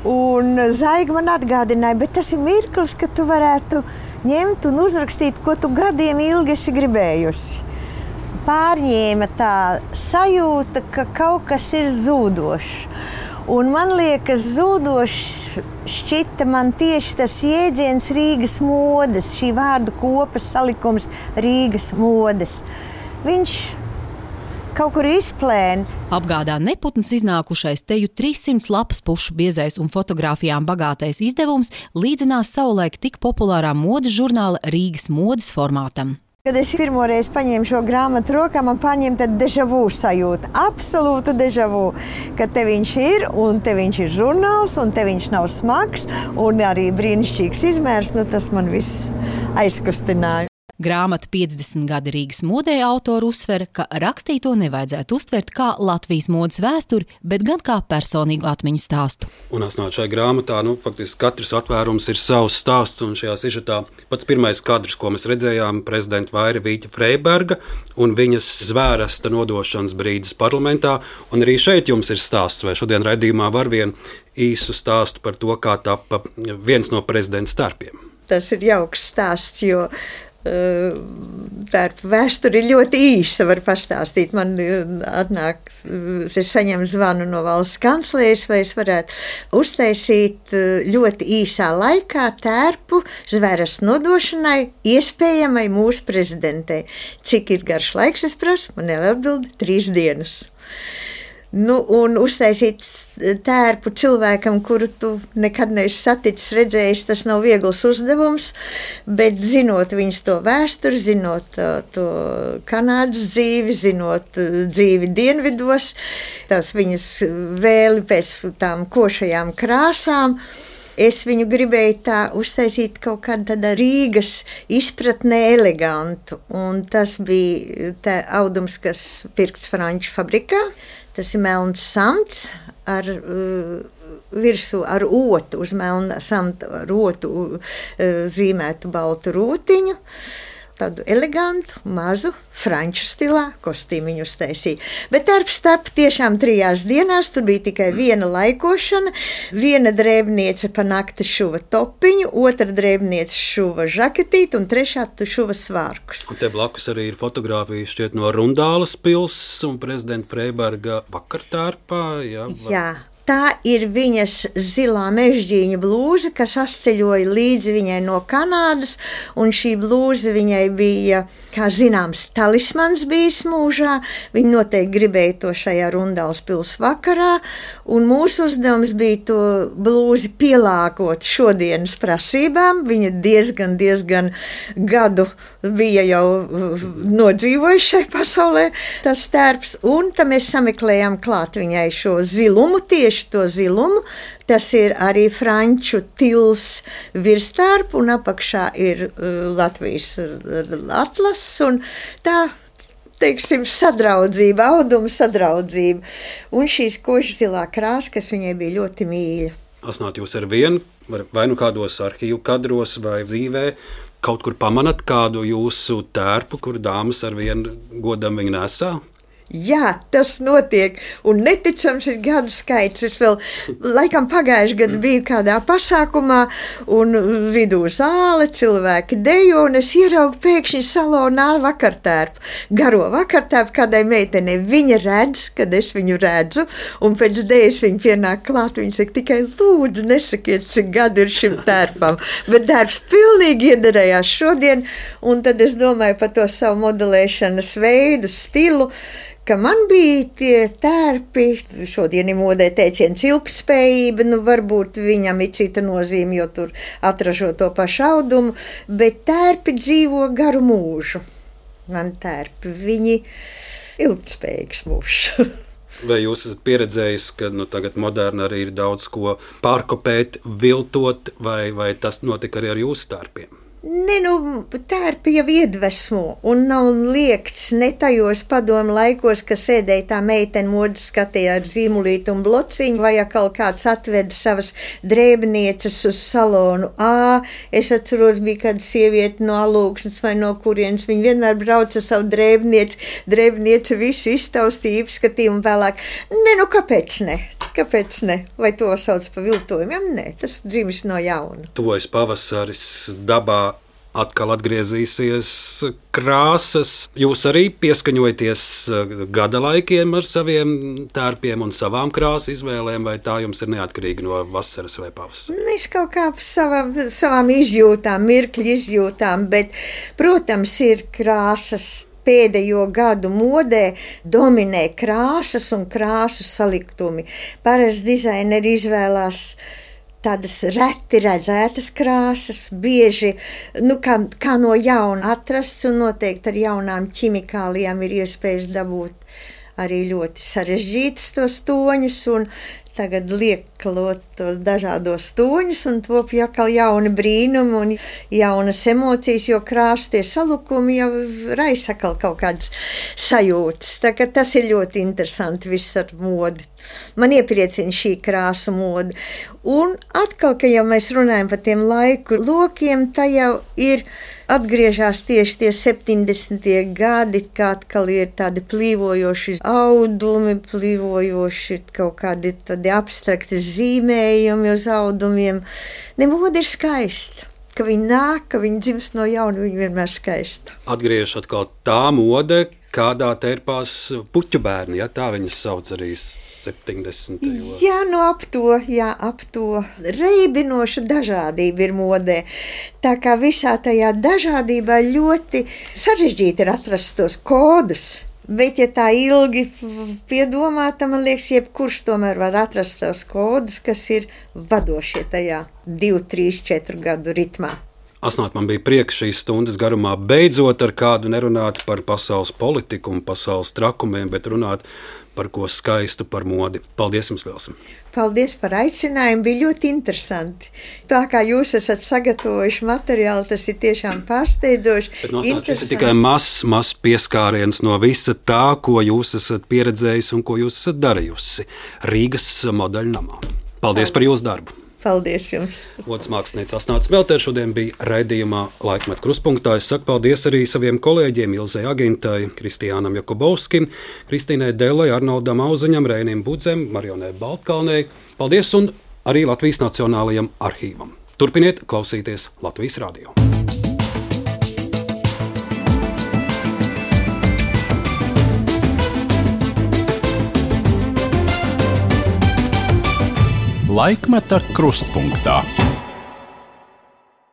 Speaker 3: un Zaiga man atgādināja, bet tas ir mirklis, ka tu varētu ņemt un uzrakstīt, ko tu gadiem ilgi esi gribējusi. Pārņēma tā sajūta, ka kaut kas ir zūdošs. Un man liekas, zūdošs šķita man tieši tas jēdziens Rīgas modes, šī vārdu kopas salikums Rīgas modes. Viņš kaut kur izplēna.
Speaker 12: Apgādā neputns iznākušais teju 300 lapas pušu biezais un fotogrāfijām bagātais izdevums līdzinās savulaik tik populārā modes žurnāla Rīgas modes formātam.
Speaker 3: Kad es pirmoreiz paņēmu šo grāmatu rokā, man paņēma tāda deja vu sajūta, absolūta deja vu, ka te viņš ir, un te viņš ir žurnāls, un te viņš nav smags, un arī brīnišķīgs izmērs, tas man viss aizkustināja.
Speaker 12: Grāmata 50 gadi Rīgas modē autora uzsver, ka rakstīto nevajadzētu uztvert kā Latvijas modes vēsturi, bet gan kā personīgu atmiņu stāstu.
Speaker 2: Un šajā grāmatā, faktiski katrs atvērums ir savs stāsts, un šajā sižetā pats pirmais kadrs, ko mēs redzējām, prezidenta Vaira Vīķa Freiberga un viņas zvērsta nodošanas brīdis parlamentā, un arī šeit jums ir stāsts, vai šodien raidījumā var vienu īsu stāstu par to, kā tappa viens no prezidenta starpiem.
Speaker 3: Tas ir jauks stāsts, jo tā vēsture ir ļoti īsa, var pastāstīt. Man atnāk, es saņemu zvanu no valsts kanclējas, vai es varētu uztaisīt ļoti īsā laikā tērpu zvērsta nodošanai, iespējamai mūsu prezidentei. Cik ir garš laiks, es prasu, man atbild 3 dienas. Un uztaisīt tērpu cilvēkam, kuru tu nekad neesi saticis, redzējis, tas nav viegls uzdevums, bet zinot viņas to vēsturi, zinot to Kanādas dzīvi, zinot dzīvi dienvidos, tās viņas vēli pēc tām košajām krāsām, es viņu gribēju tā uztaisīt kaut kādā tādā Rīgas izpratnē elegantu, un tas bija tā audums, kas pirkts franču fabrikā. Tas ir melns samts ar virsū ar otu, uz melna samta ar otu zīmētu baltu rūtiņu. Tādu elegantu, mazu, franču stilā kostīmiņu uztaisīja. Bet darbs tapa tiešām 3 dienās, tur bija tikai viena laikošana, viena drēbniece pa nakti šuva topiņu, otra drēbniece šuva žaketīti un trešā šuva svārkus.
Speaker 2: Un te blakus arī ir fotogrāfija šķiet no Rundāles pils un prezidenta Freiberga vakartērpā.
Speaker 3: Jā. Tā ir viņas zilā mežģīņa blūze, kas atceļoja līdzi viņai no Kanādas, un šī blūze viņai bija, kā zināms, talismans bijis mūžā. Viņa noteikti gribēja to šajā Rundāles pils vakarā, un mūsu uzdevums bija to blūzi pielāgot šodienas prasībām. Viņa diezgan gadu bija jau nodzīvojuši šai pasaulē, tas tērps, un tam mēs sameklējām klāt viņai šo zilumu, tieši to zilumu. Tas ir arī franču tils virstārpu, un apakšā ir Latvijas atlases, un tā teiksim, sadraudzība, auduma sadraudzība. Un šīs kožzilā krāsa, kas viņai bija ļoti mīļa.
Speaker 2: Asnāt, jūs ar vienu, vai nu kādos arhīvu kadros vai dzīvē, kaut kur pamanat kādu jūsu tērpu, kur dāmas ar vienu godam viņu nesā?
Speaker 3: Jā, tas notiek, un neticams ir gadu skaits. Es vēl, laikam pagājuši gadu biju kādā pasākumā, un vidū zāle, cilvēki dejo, un es ieraugu pēkšņi salonā vakartērpu. Garo vakartērpu kādai meitenei. Viņa redz, kad es viņu redzu, un pēc dēļas viņa pienāk klāt, viņa saka, tikai lūdzu, nesakiet, cik gadu ir šim tērpam. Bet darbs pilnīgi iederējās šodien, un tad es domāju par to savu modelēšanas veidu, stilu, ka man bija tie tērpi, šodien ir modē teiciens ilgtspējība, nu varbūt viņam ir cita nozīme, jo tur atražo to pašu audumu, bet tērpi dzīvo garu mūžu. Man tērpi, viņi ilgtspējīgs mūžs.
Speaker 2: Vai jūs esat pieredzējis, ka tagad moderni arī ir daudz ko pārkopēt, viltot, vai tas notika arī ar jūsu tērpiem?
Speaker 3: Ne, tērpi jau iedvesmo, un nav liekts ne tajos padomu laikos, ka sēdēja tā meitene modes skatījā ar zīmulīti un blociņu, vai atkal kāds atveda savas drēbnieces uz salonu A. Es atceros, bija kāda sieviete no Alūksnes vai no kurienes, viņa vienmēr brauca savu drēbnieci visu iztaustīja, izskatīja un vēlāk. Ne, kāpēc ne? Kāpēc ne? Vai to sauc par viltojumiem? Nē, tas dzimis no jauna.
Speaker 2: Tuvojas pavasaris, dabā atkal atgriezīsies krāsas. Jūs arī pieskaņojaties gada laikiem ar saviem tērpiem un savām krāsu izvēlēm, vai tā jums ir neatkarīgi no vasaras vai pavasara?
Speaker 3: Mēs kaut kā savām izjūtām, mirkļu izjūtām, bet, protams, ir krāsas. Pēdējo gadu modē dominē krāsas un krāsu saliktumi. Parasti dizaineri izvēlās tādas reti redzētas krāsas, bieži kā no jauna atrasts, un noteikti ar jaunām ķimikālijām ir iespējas dabūt arī ļoti sarežģītas tos toņus, un tagad lieklot tos dažādos toņus, un top atkal jauni brīnumi un jaunas emocijas, jo krāsu tie salukumi jau raisa atkal kaut kādas sajūtas. Tā kā tas ir ļoti interesanti viss ar modi. Man iepriecina šī krāsu mode. Un atkal, ka jau mēs runājam par tiem laiku lokiem, tā jau ir atgriežās tieši tie 70. gadi, kā atkal ir tādi plīvojoši audumi, plīvojoši kaut kādi tādi abstrakti zīmējumi uz audumiem. Mode ir skaista. Ka viņi nāk, ka viņi dzimst no jauna, viņi vienmēr skaista.
Speaker 2: Atgriežas atkal tā mode, kādā tērpās puķu bērni, ja tā viņas sauc arī 70.
Speaker 3: Jā, ap to. Reibinoša dažādība ir modē. Tā kā visā tajā dažādībā ļoti sarežģīti ir atrast tos kodus. Bet, ja tā ilgi piedomā, tad man liekas, jebkurš tomēr var atrast tos kodus, kas ir vadošie tajā 2, 3, 4 gadu ritmā.
Speaker 2: Asnāt, man bija prieks šīs stundas garumā beidzot ar kādu nerunāt par pasaules politiku un pasaules trakumiem, bet runāt par ko skaistu, par modi. Paldies jums liels!
Speaker 3: Paldies par aicinājumu, bija ļoti interesanti. Tā kā jūs esat sagatavojuši materiālu, tas ir tiešām pārsteidzoši.
Speaker 2: Bet šis ir tikai mazs pieskāriens no visa tā, ko jūs esat pieredzējis un ko jūs esat darījusi Rīgas modeļnamā. Paldies par jūsu darbu!
Speaker 3: Paldies jums!
Speaker 2: Modes māksliniece Asnāte Smeltere šodien bija raidījumā Laikmeta krustpunktā. Es saku paldies arī saviem kolēģiem Ilzei Agintai, Kristiānam Jakubovskim, Kristīnai Dellai, Arnoldam Auziņam, Reinim Budzem, Marionai Baltkalnei. Paldies un arī Latvijas Nacionālajam arhīvam. Turpiniet klausīties Latvijas radio.
Speaker 1: Laikmeta krustpunktā.